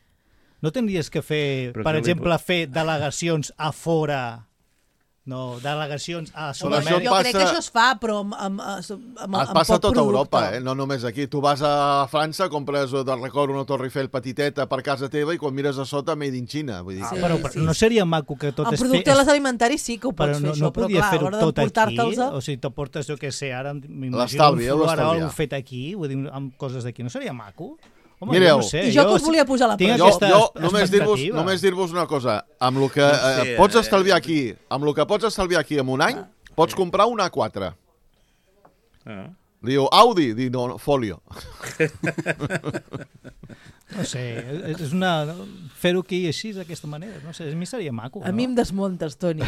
No tindries que fer, per exemple, fer delegacions a fora... No, delegacions a Sud-amèrica. Jo crec que això es fa, però es passa a tota Europa, no només aquí. Tu vas a França, compres de record una Torre Eiffel petiteta per casa teva i quan mires a sota, made in China. Vull dir però no seria maco que tot es fes... En productes alimentaris sí que ho pots fer, això, però clar, a l'hora d'emportar-te'ls... O sigui, t'emportes, jo què sé, ara m'imagino un floral fet aquí, vull dir, amb coses d'aquí. No seria maco? Home, mireu, no sé, i jo que us volia posar la prova. Jo només dir-vos una cosa. Amb el que pots estalviar aquí en un any, pots comprar un A4. Diu Audi, diu no, Folio. No sé, és una... Fer-ho aquí així, d'aquesta manera, no sé, a mi seria maco. A mi em desmuntes, Toni,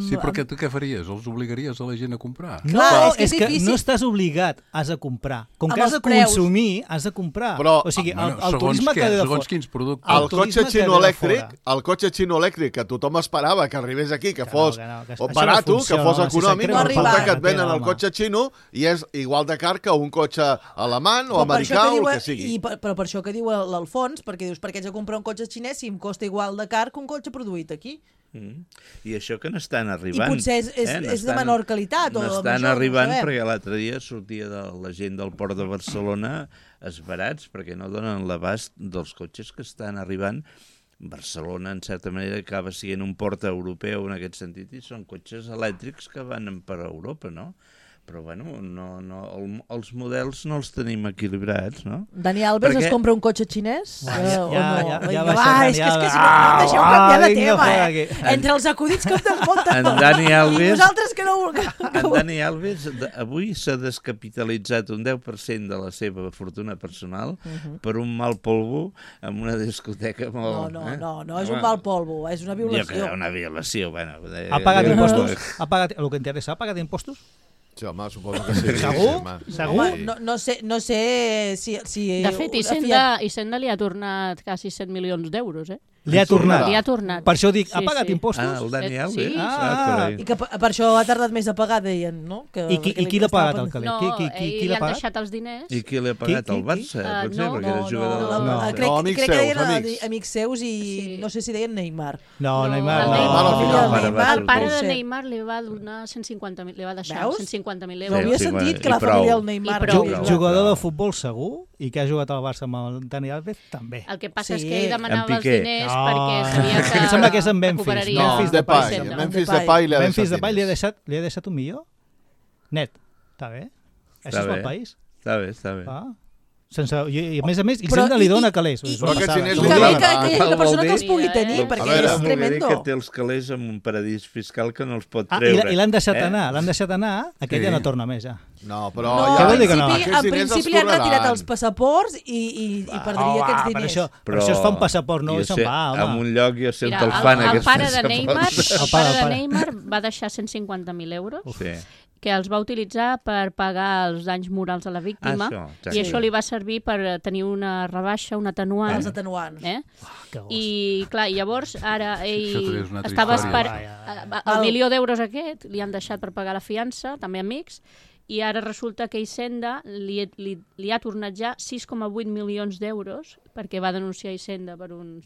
Sí, però tu què faries? Els obligaries a la gent a comprar? No, és que no estàs obligat, has de comprar. Com que has de consumir, has de comprar. O sigui, el turisme que... Segons quins productes. El cotxe xino elèctric que tothom esperava que arribés aquí, que fos barat, que fos econòmic, resulta que et venen el cotxe xino i és igual de car que un cotxe alemany o americà o el que sigui. Però per això que diu l'Alfons, perquè dius, per què haig de comprar un cotxe xinès si em costa igual de car que un cotxe produït aquí? I això que n'estan arribant. I potser és de menor qualitat. N'estan arribant perquè l'altre dia sortia de la gent del Port de Barcelona esbarats perquè no donen l'abast dels cotxes que estan arribant. Barcelona, en certa manera, acaba sent un port europeu en aquest sentit i són cotxes elèctrics que van per Europa, no? Però, bueno, els models no els tenim equilibrats, no? Dani Alves es compra un cotxe xinès? Ja és que si no em deixeu canviar de tema, Entre els acudits que em desmunten tot. I vosaltres que no... En Dani Alves avui s'ha descapitalitzat un 10% de la seva fortuna personal per un mal polvo en una discoteca molt... No, és un mal polvo, és una violació. Jo crec una violació, bueno... Ha pagat impostos? El que interessa, ha pagat impostos? Sí, home, suposo que sí. Segur? Home, no sé si... De fet, Hisenda li ha tornat quasi 7 milions d'euros, Li ha tornat? Li ha tornat. Per això dic, ha pagat impostos? El Dani Alves? I que per això ha tardat més a pagar, deien, no? I qui l'ha pagat, el calent? No, ell li han deixat els diners. I qui l'ha pagat? El Barça? No, crec que deien amics seus i no sé si deien Neymar. No, Neymar el pare de Neymar li va donar 150.000, li va deixar 150.000 euros. No havia sentit que la família del Neymar... Jugador de futbol segur i que ha jugat al Barça amb el Dani Alves també. El que passa és que ell demanava els diners perquè sabia que... Em sembla que és en Memphis. Memphis Depay li ha deixat $1 milió? Net. Està bé. Això és el país. Està bé. I a més, Hisenda li dona calés. I que la persona que els pugui tenir, perquè és tremendo. Que té els calés en un paradís fiscal que no els pot treure. I l'han deixat anar, aquella no torna més, ja. No, però... En principi li han retirat els passaports i perdria aquests diners. Però això es fa un passaport nou i se'n va, home. En un lloc jo sé on te'l fan, aquests passaports. El pare de Neymar va deixar 150.000 euros que els va utilitzar per pagar els danys morals a la víctima i això li va servir per tenir una rebaixa, un atenuant. Els atenuants. I clar, llavors ara ell estava esperant el milió d'euros aquest, li han deixat per pagar la fiança, també amics, i ara resulta que Hisenda li ha tornat ja 6,8 milions d'euros perquè va denunciar Hisenda per uns...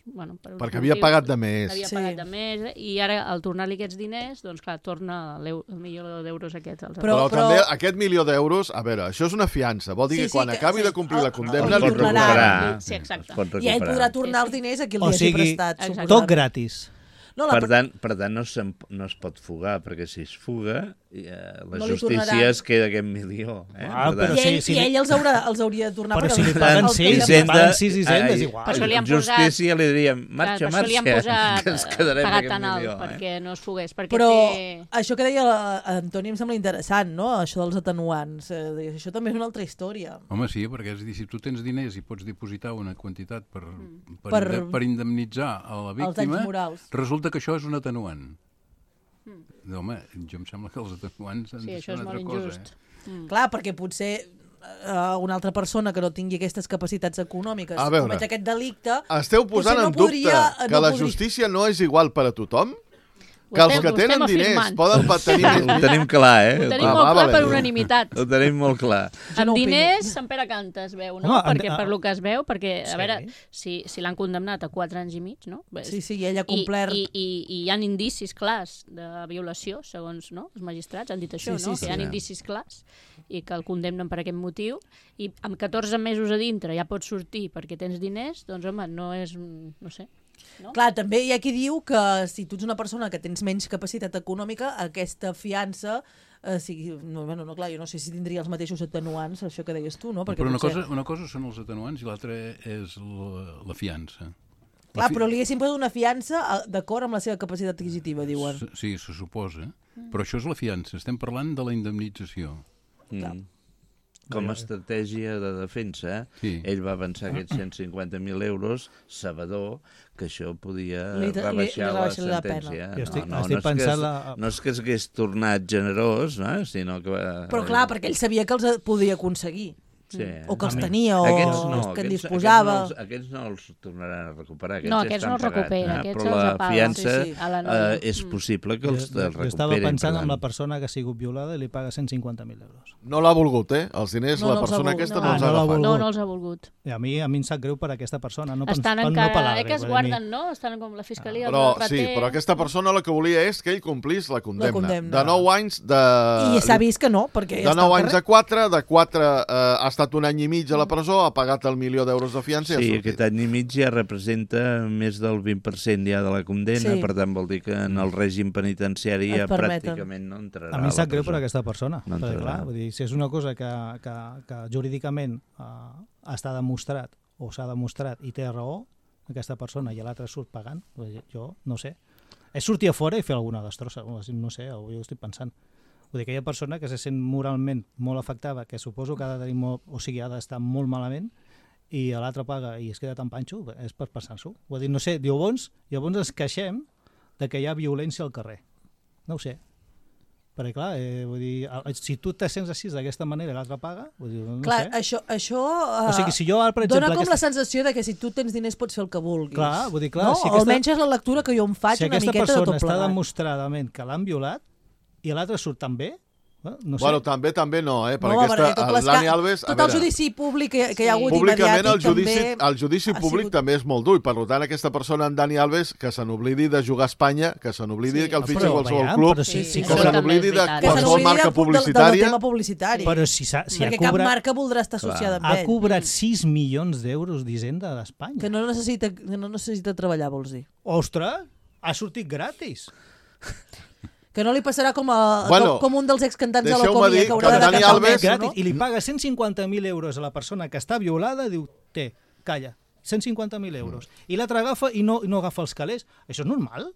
perquè havia pagat de més. Havia pagat de més, i ara al tornar-li aquests diners, doncs clar, torna el milió d'euros aquest. Però també aquest milió d'euros, a veure, això és una fiança, vol dir que quan acabi de complir la condemna... El pot recuperar. Sí, exacte. I ell podrà tornar els diners a qui li hagi prestat. Tot gratis. Per tant, no es pot fugar, perquè si es fuga, la justícia es queda aquest milió. I ell els hauria de tornar. Però si li paguen 6 hisendes, igual. Per això li han posat... Justícia li diríem, marxa, que ens quedarem pagat tan alt perquè no es fugués. Però això que deia Antoni em sembla interessant, no? Això dels atenuants. Això també és una altra història. Home, sí, perquè és dir, si tu tens diners i pots dipositar una quantitat per indemnitzar a la víctima, resulta que això és un atenuant. Home, jo em sembla que els atenuants han de ser una altra cosa. Clar, perquè potser una altra persona que no tingui aquestes capacitats econòmiques comet aquest delicte... Esteu posant en dubte que la justícia no és igual per a tothom? Que els que tenen diners poden tenir més... Ho tenim clar, Ho tenim molt clar per unanimitat. Ho tenim molt clar. Amb diners, Sant Pere canta, es veu, no? Perquè per lo que es veu, perquè, a veure, si l'han condemnat a 4 anys i mig, no? Sí, i ell ha complert... I hi ha indicis clars de violació, segons els magistrats han dit això, no? Que hi ha indicis clars i que el condemnen per aquest motiu, i amb 14 mesos a dintre ja pots sortir perquè tens diners, doncs, home, no és... no sé... No? Clar, també hi ha qui diu que si tu ets una persona que tens menys capacitat econòmica, aquesta fiança clar, jo no sé si tindria els mateixos atenuants, això que deies tu, no? Perquè però una cosa són els atenuants i l'altra és la fiança. Clar, però li haguessin posat una fiança d'acord amb la seva capacitat adquisitiva, diuen. Sí, se suposa. Però això és la fiança, estem parlant de la indemnització. Com a estratègia de defensa, ell va avançar aquests 150.000 euros, sabedor que això podia rebaixar la sentència. No és que es hagués tornat generós, sinó que... Però clar, perquè ell sabia que els podia aconseguir. O que els tenia, o que en disposava. Aquests no els tornaran a recuperar. No, aquests no els recupera, aquests els apaga. Però la fiança és possible que els recuperin. Jo estava pensant en la persona que ha sigut violada i li paga 150.000 euros. No l'ha volgut, Els diners la persona aquesta no els ha agafat. No els ha volgut. I a mi em sap greu per aquesta persona. Estan encara, que es guarden, no? Estan com la fiscalia. Sí, però aquesta persona el que volia és que ell complís la condemna. De 9 anys de... I s'ha vist que no, perquè... De 9 anys a 4, de 4 ha estat un any i mig a la presó, ha pagat el $1.000.000 de fiança i ha sortit. Sí, aquest any i mig ja representa més del 20% ja de la condemna, per tant vol dir que en el règim penitenciari ja pràcticament no entrarà a la presó. A mi em sap greu per aquesta persona, perquè clar, vull dir, si és una cosa que jurídicament està demostrat o s'ha demostrat i té raó, aquesta persona i l'altre surt pagant, jo no sé. És sortir a fora i fer alguna destrossa, no sé, jo estic pensant. Vull dir, aquella persona que se sent moralment molt afectada, que suposo que ha de tenir ha d'estar molt malament, i l'altre paga i es queda tan panxo, és per passar-s'ho. Vull dir, no sé, llavors ens queixem de que hi ha violència al carrer. No ho sé. Perquè, clar, vull dir, si tu te sents així d'aquesta manera i l'altre paga, vull dir, no clar, sé. Això o sigui, si jo, per exemple, dona com la sensació de que si tu tens diners pots fer el que vulguis. Clar, vull dir, clar. No? Si almenys és la lectura que jo em faig una miqueta de tot plegat. Si aquesta persona està demostradament que l'han violat, i l'altre surt també? No sé. Bueno, també no, perquè el Dani Alves... Tot el judici públic que hi ha hagut públicament mediàtic el judici públic també és molt dur, i per tant aquesta persona, en Dani Alves, que se n'oblidi de jugar a Espanya, que se n'oblidi que el fitxa qualsevol club, que se n'oblidi de qualsevol marca publicitària. Del tema publicitari. Però si perquè cap marca voldrà estar associada amb ell. Ha cobrat 6 milions d'euros d'Hisenda d'Espanya. Que no necessita treballar, vols dir. Ostres, ha sortit gratis. Que no li passarà com un dels excantants de la Comia, que haurà de Dani Alves, gratis, i li paga 150.000 euros a la persona que està violada, diu, calla, 150.000 euros. I l'altre agafa i no agafa els calés. Això és normal?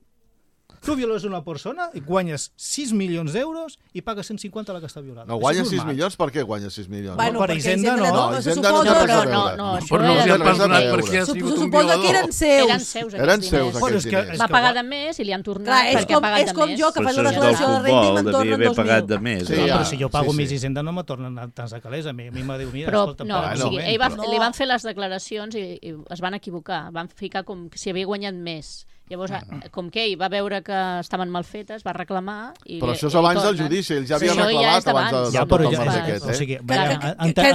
Tu violes una persona i guanyes 6 milions d'euros i pagues 150 a la que està violada. No, guanyes 6 milions? Per què guanyes 6 milions? Bueno, per Hisenda no. Hisenda no té res a veure. No, però no els ha perdonat perquè ha sigut un violador. Suposa que eren seus. Eren seus, aquests diners. Va pagar de més i li han tornat perquè ha pagat de més. És com jo, que faig la declaració de renda i me'n tornen 2.000. Però si jo pago més Hisenda no me tornen tants de calés. A mi me diu, mira, escolta... No, o sigui, li van fer les declaracions i es van equivocar. Van ficar com si havia guanyat més. Llavors, com que ell va veure que estaven mal fetes, va reclamar... Però això és abans del judici, ell ja havia reclamat abans de tot el marge aquest.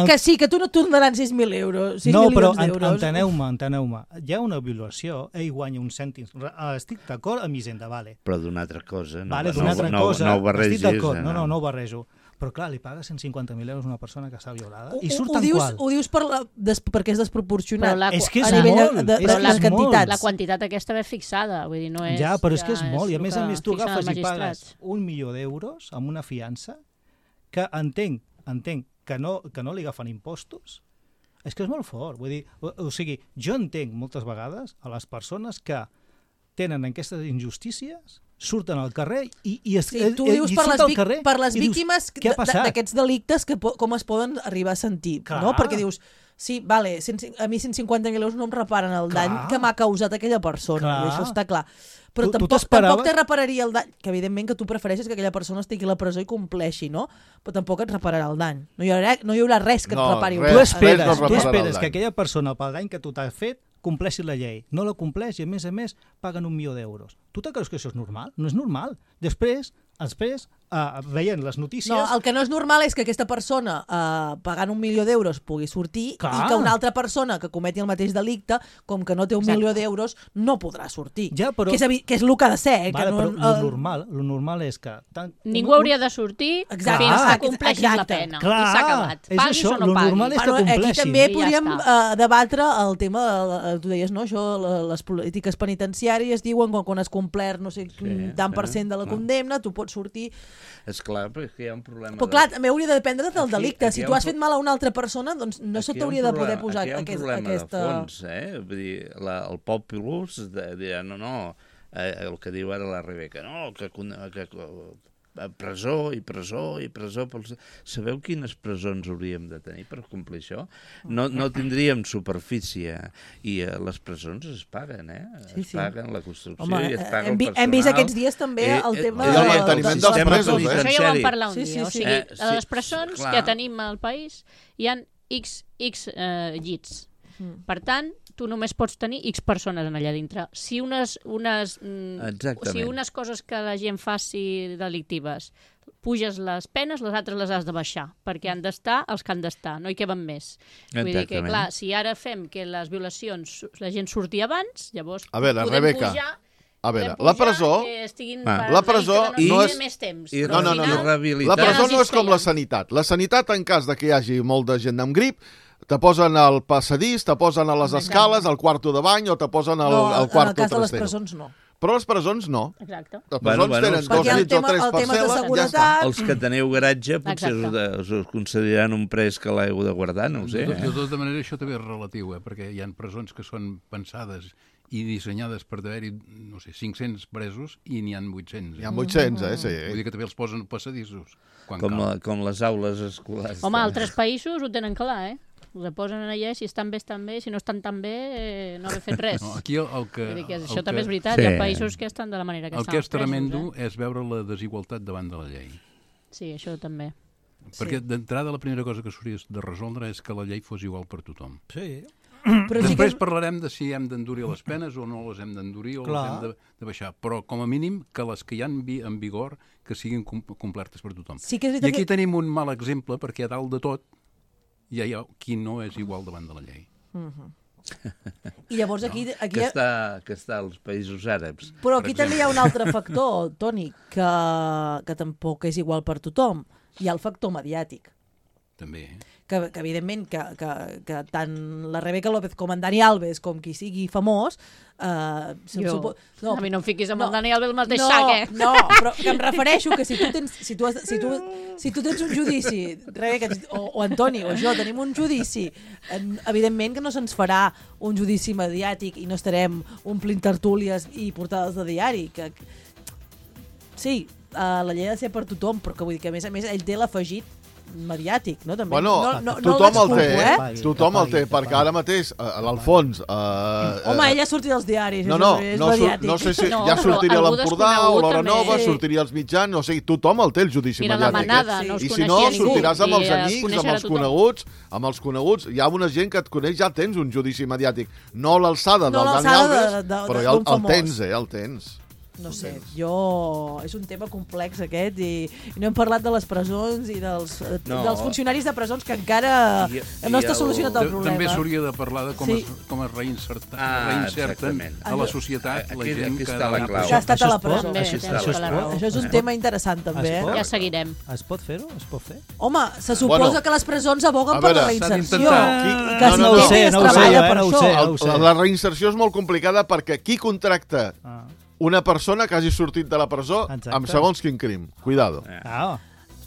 Que sí, que tu no et tornaran 6.000 euros. No, però enteneu-me. Hi ha una violació, ell guanya uns cèntims. Estic d'acord amb Hisenda, vale. Però d'una altra cosa. Vale, d'una altra cosa. No ho barregis. Estic d'acord, no ho barrejo. Però clar, li paga 150.000 euros a una persona que està violada i surt en qual? Ho dius perquè és desproporcionat. És que és a nivell molt, de les quantitats. La quantitat aquesta ve fixada, vull dir, no és... Ja, però és que és molt, i a més tu agafes i pagues €1.000.000 amb una fiança que entenc que no li agafen impostos. És que és molt fort, vull dir, o sigui, jo entenc moltes vegades a les persones que tenen aquestes injustícies, surten al carrer i tu dius per les víctimes d'aquests delictes com es poden arribar a sentir, no? Perquè dius, sí, vale, a mi 150.000 euros no em reparen el dany que m'ha causat aquella persona, i això està clar. Però tampoc te repararia el dany, que evidentment que tu prefereixes que aquella persona estigui a la presó i compleixi, no? Però tampoc et repararà el dany. No hi haurà res que et repari el dany. Tu esperes que aquella persona, pel dany que tu t'has fet, compleixi la llei. No la compleix i, a més, paguen €1.000.000. Tu te creus que això és normal? No és normal. Després veient les notícies... No, el que no és normal és que aquesta persona pagant €1.000.000 pugui sortir i que una altra persona que cometi el mateix delicte, com que no té €1.000.000, no podrà sortir. Ja, però... que és el que ha de ser. Però lo normal és que... Ningú hauria de sortir fins que compleixis la pena. I s'ha acabat. Paguis o no paguis. Normal és que compleixin. Aquí també podríem debatre el tema, tu deies, no? Això, les polítiques penitenciàries diuen quan has complert no sé tant % de la condemna, tu pots sortir... És clar, perquè hi ha un problema... Però clar, també hauria de dependre del delicte. Si tu has fet mal a una altra persona, doncs no se t'hauria de poder posar aquesta... Aquí hi ha un problema de fons, Vull dir, el populus dirà, no, el que diu ara la Rebeca, no, que presó i presó i presó. Sabeu quines presons hauríem de tenir per complir això? No tindríem superfície i les presons es paguen, es paguen la construcció i es paga el personal. Hem vist aquests dies també el tema del manteniment dels presos. Això ja ho vam parlar un dia. O sigui, a les presons que tenim al país hi ha X llits. Per tant, tu només pots tenir X persones allà dintre. Si unes coses que la gent faci delictives puges les penes, les altres les has de baixar, perquè han d'estar els que han d'estar, no hi queben més. Vull dir que, clar, si ara fem que les violacions la gent surti abans, llavors podem pujar... A veure, la presó no és més temps. No, la presó no és com la sanitat. La sanitat, en cas de que hi hagi molt de gent amb grip, te posen al passadís, te posen a les escales, al quarto de bany o te posen al quarto trastero. En el cas de les presons no. Però les presons no. Exacte. Les presons tenen 2 nits o 3 per cel·la, ja està. Els que teniu garatge potser us concediran un pres que l'heu de guardar, no ho sé. De tota manera, això també és relatiu, perquè hi ha presons que són pensades i dissenyades per haver-hi, no sé, 500 presos i n'hi ha 800. Hi ha 800, sí. Vull dir que també els posen passadissos. Com les aules escolars. Home, altres països ho tenen clar, Us posen allà, si estan bé, si no estan tan bé, no haver fet res. No, aquí això també és veritat, hi ha països que estan de la manera que estan. El que és tremendo és veure la desigualtat davant de la llei. Sí, això també. Perquè d'entrada la primera cosa que s'hauria de resoldre és que la llei fos igual per tothom. Sí. Després parlarem de si hem d'endurir les penes o no les hem d'endurir o les hem de baixar, però com a mínim que les que hi ha en vigor que siguin complertes per tothom. I aquí tenim un mal exemple perquè a dalt de tot hi ha qui no és igual davant de la llei. I llavors aquí... Que està als països àrabs. Però aquí també hi ha un altre factor, Toni, que tampoc és igual per tothom. Hi ha el factor mediàtic. També, que evidentment que tant la Rebeca López com en Dani Alves com qui sigui famós a mi no em fiquis amb el Dani Alves el mateix sac, No, però que em refereixo que si tu tens un judici, Rebeca o Antoni o jo tenim un judici, evidentment que no se'ns farà un judici mediàtic i no estarem omplint tertúlies i portades de diari, que sí, la llei ha de ser per tothom, però que vull dir que a més ell té l'afegit mediàtic, no? També. Bueno, tothom el té, perquè ara mateix, a l'Alfons... Home, ella sortirà als diaris, no sé si ja sortiria a l'Empordà o l'Hora Nova, sortiria als mitjans, o sigui, tothom el té, el judici mediàtic. I si no, sortiràs amb els amics, amb els coneguts, hi ha una gent que et coneix, ja tens un judici mediàtic. No l'alçada del Dani Alves, però ja el tens, el tens. No sé, és un tema complex aquest i no hem parlat de les presons i dels funcionaris de presons que encara no està solucionat el problema. També s'hauria de parlar de com es reinserten a la societat la gent que ha estat a la presó. Això és un tema interessant també. Ja seguirem. Es pot fer-ho? Es pot fer? Home, se suposa que les presons aboguen per la reinserció. No ho sé, la reinserció és molt complicada perquè qui contracta una persona que hagi sortit de la presó amb segons quin crim. Cuidado.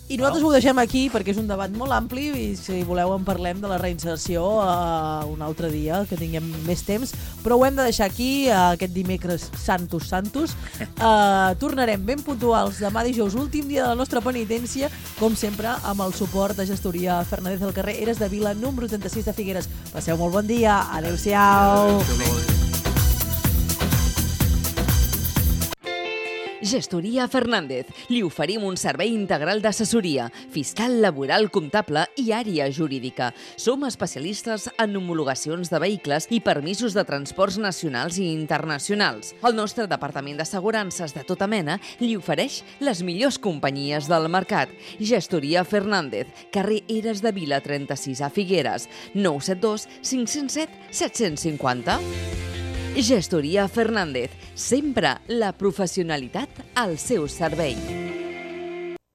I nosaltres ho deixem aquí perquè és un debat molt ampli i si voleu en parlem de la reinserció un altre dia, que tinguem més temps, però ho hem de deixar aquí aquest dimecres Santos. Tornarem ben puntuals demà dijous, últim dia de la nostra penitència, com sempre amb el suport de Gestoria Fernández del carrer Eres de Vila, número 36 de Figueres. Passeu molt bon dia. Adéu-siau. Gestoria Fernández. Li oferim un servei integral d'assessoria, fiscal, laboral, comptable i àrea jurídica. Som especialistes en homologacions de vehicles i permisos de transports nacionals i internacionals. El nostre departament d'assegurances de tota mena li ofereix les millors companyies del mercat. Gestoria Fernández, carrer Eres de Vila 36 a Figueres, 972 507 750. Gestoria Fernández, sempre la professionalitat al seu servei.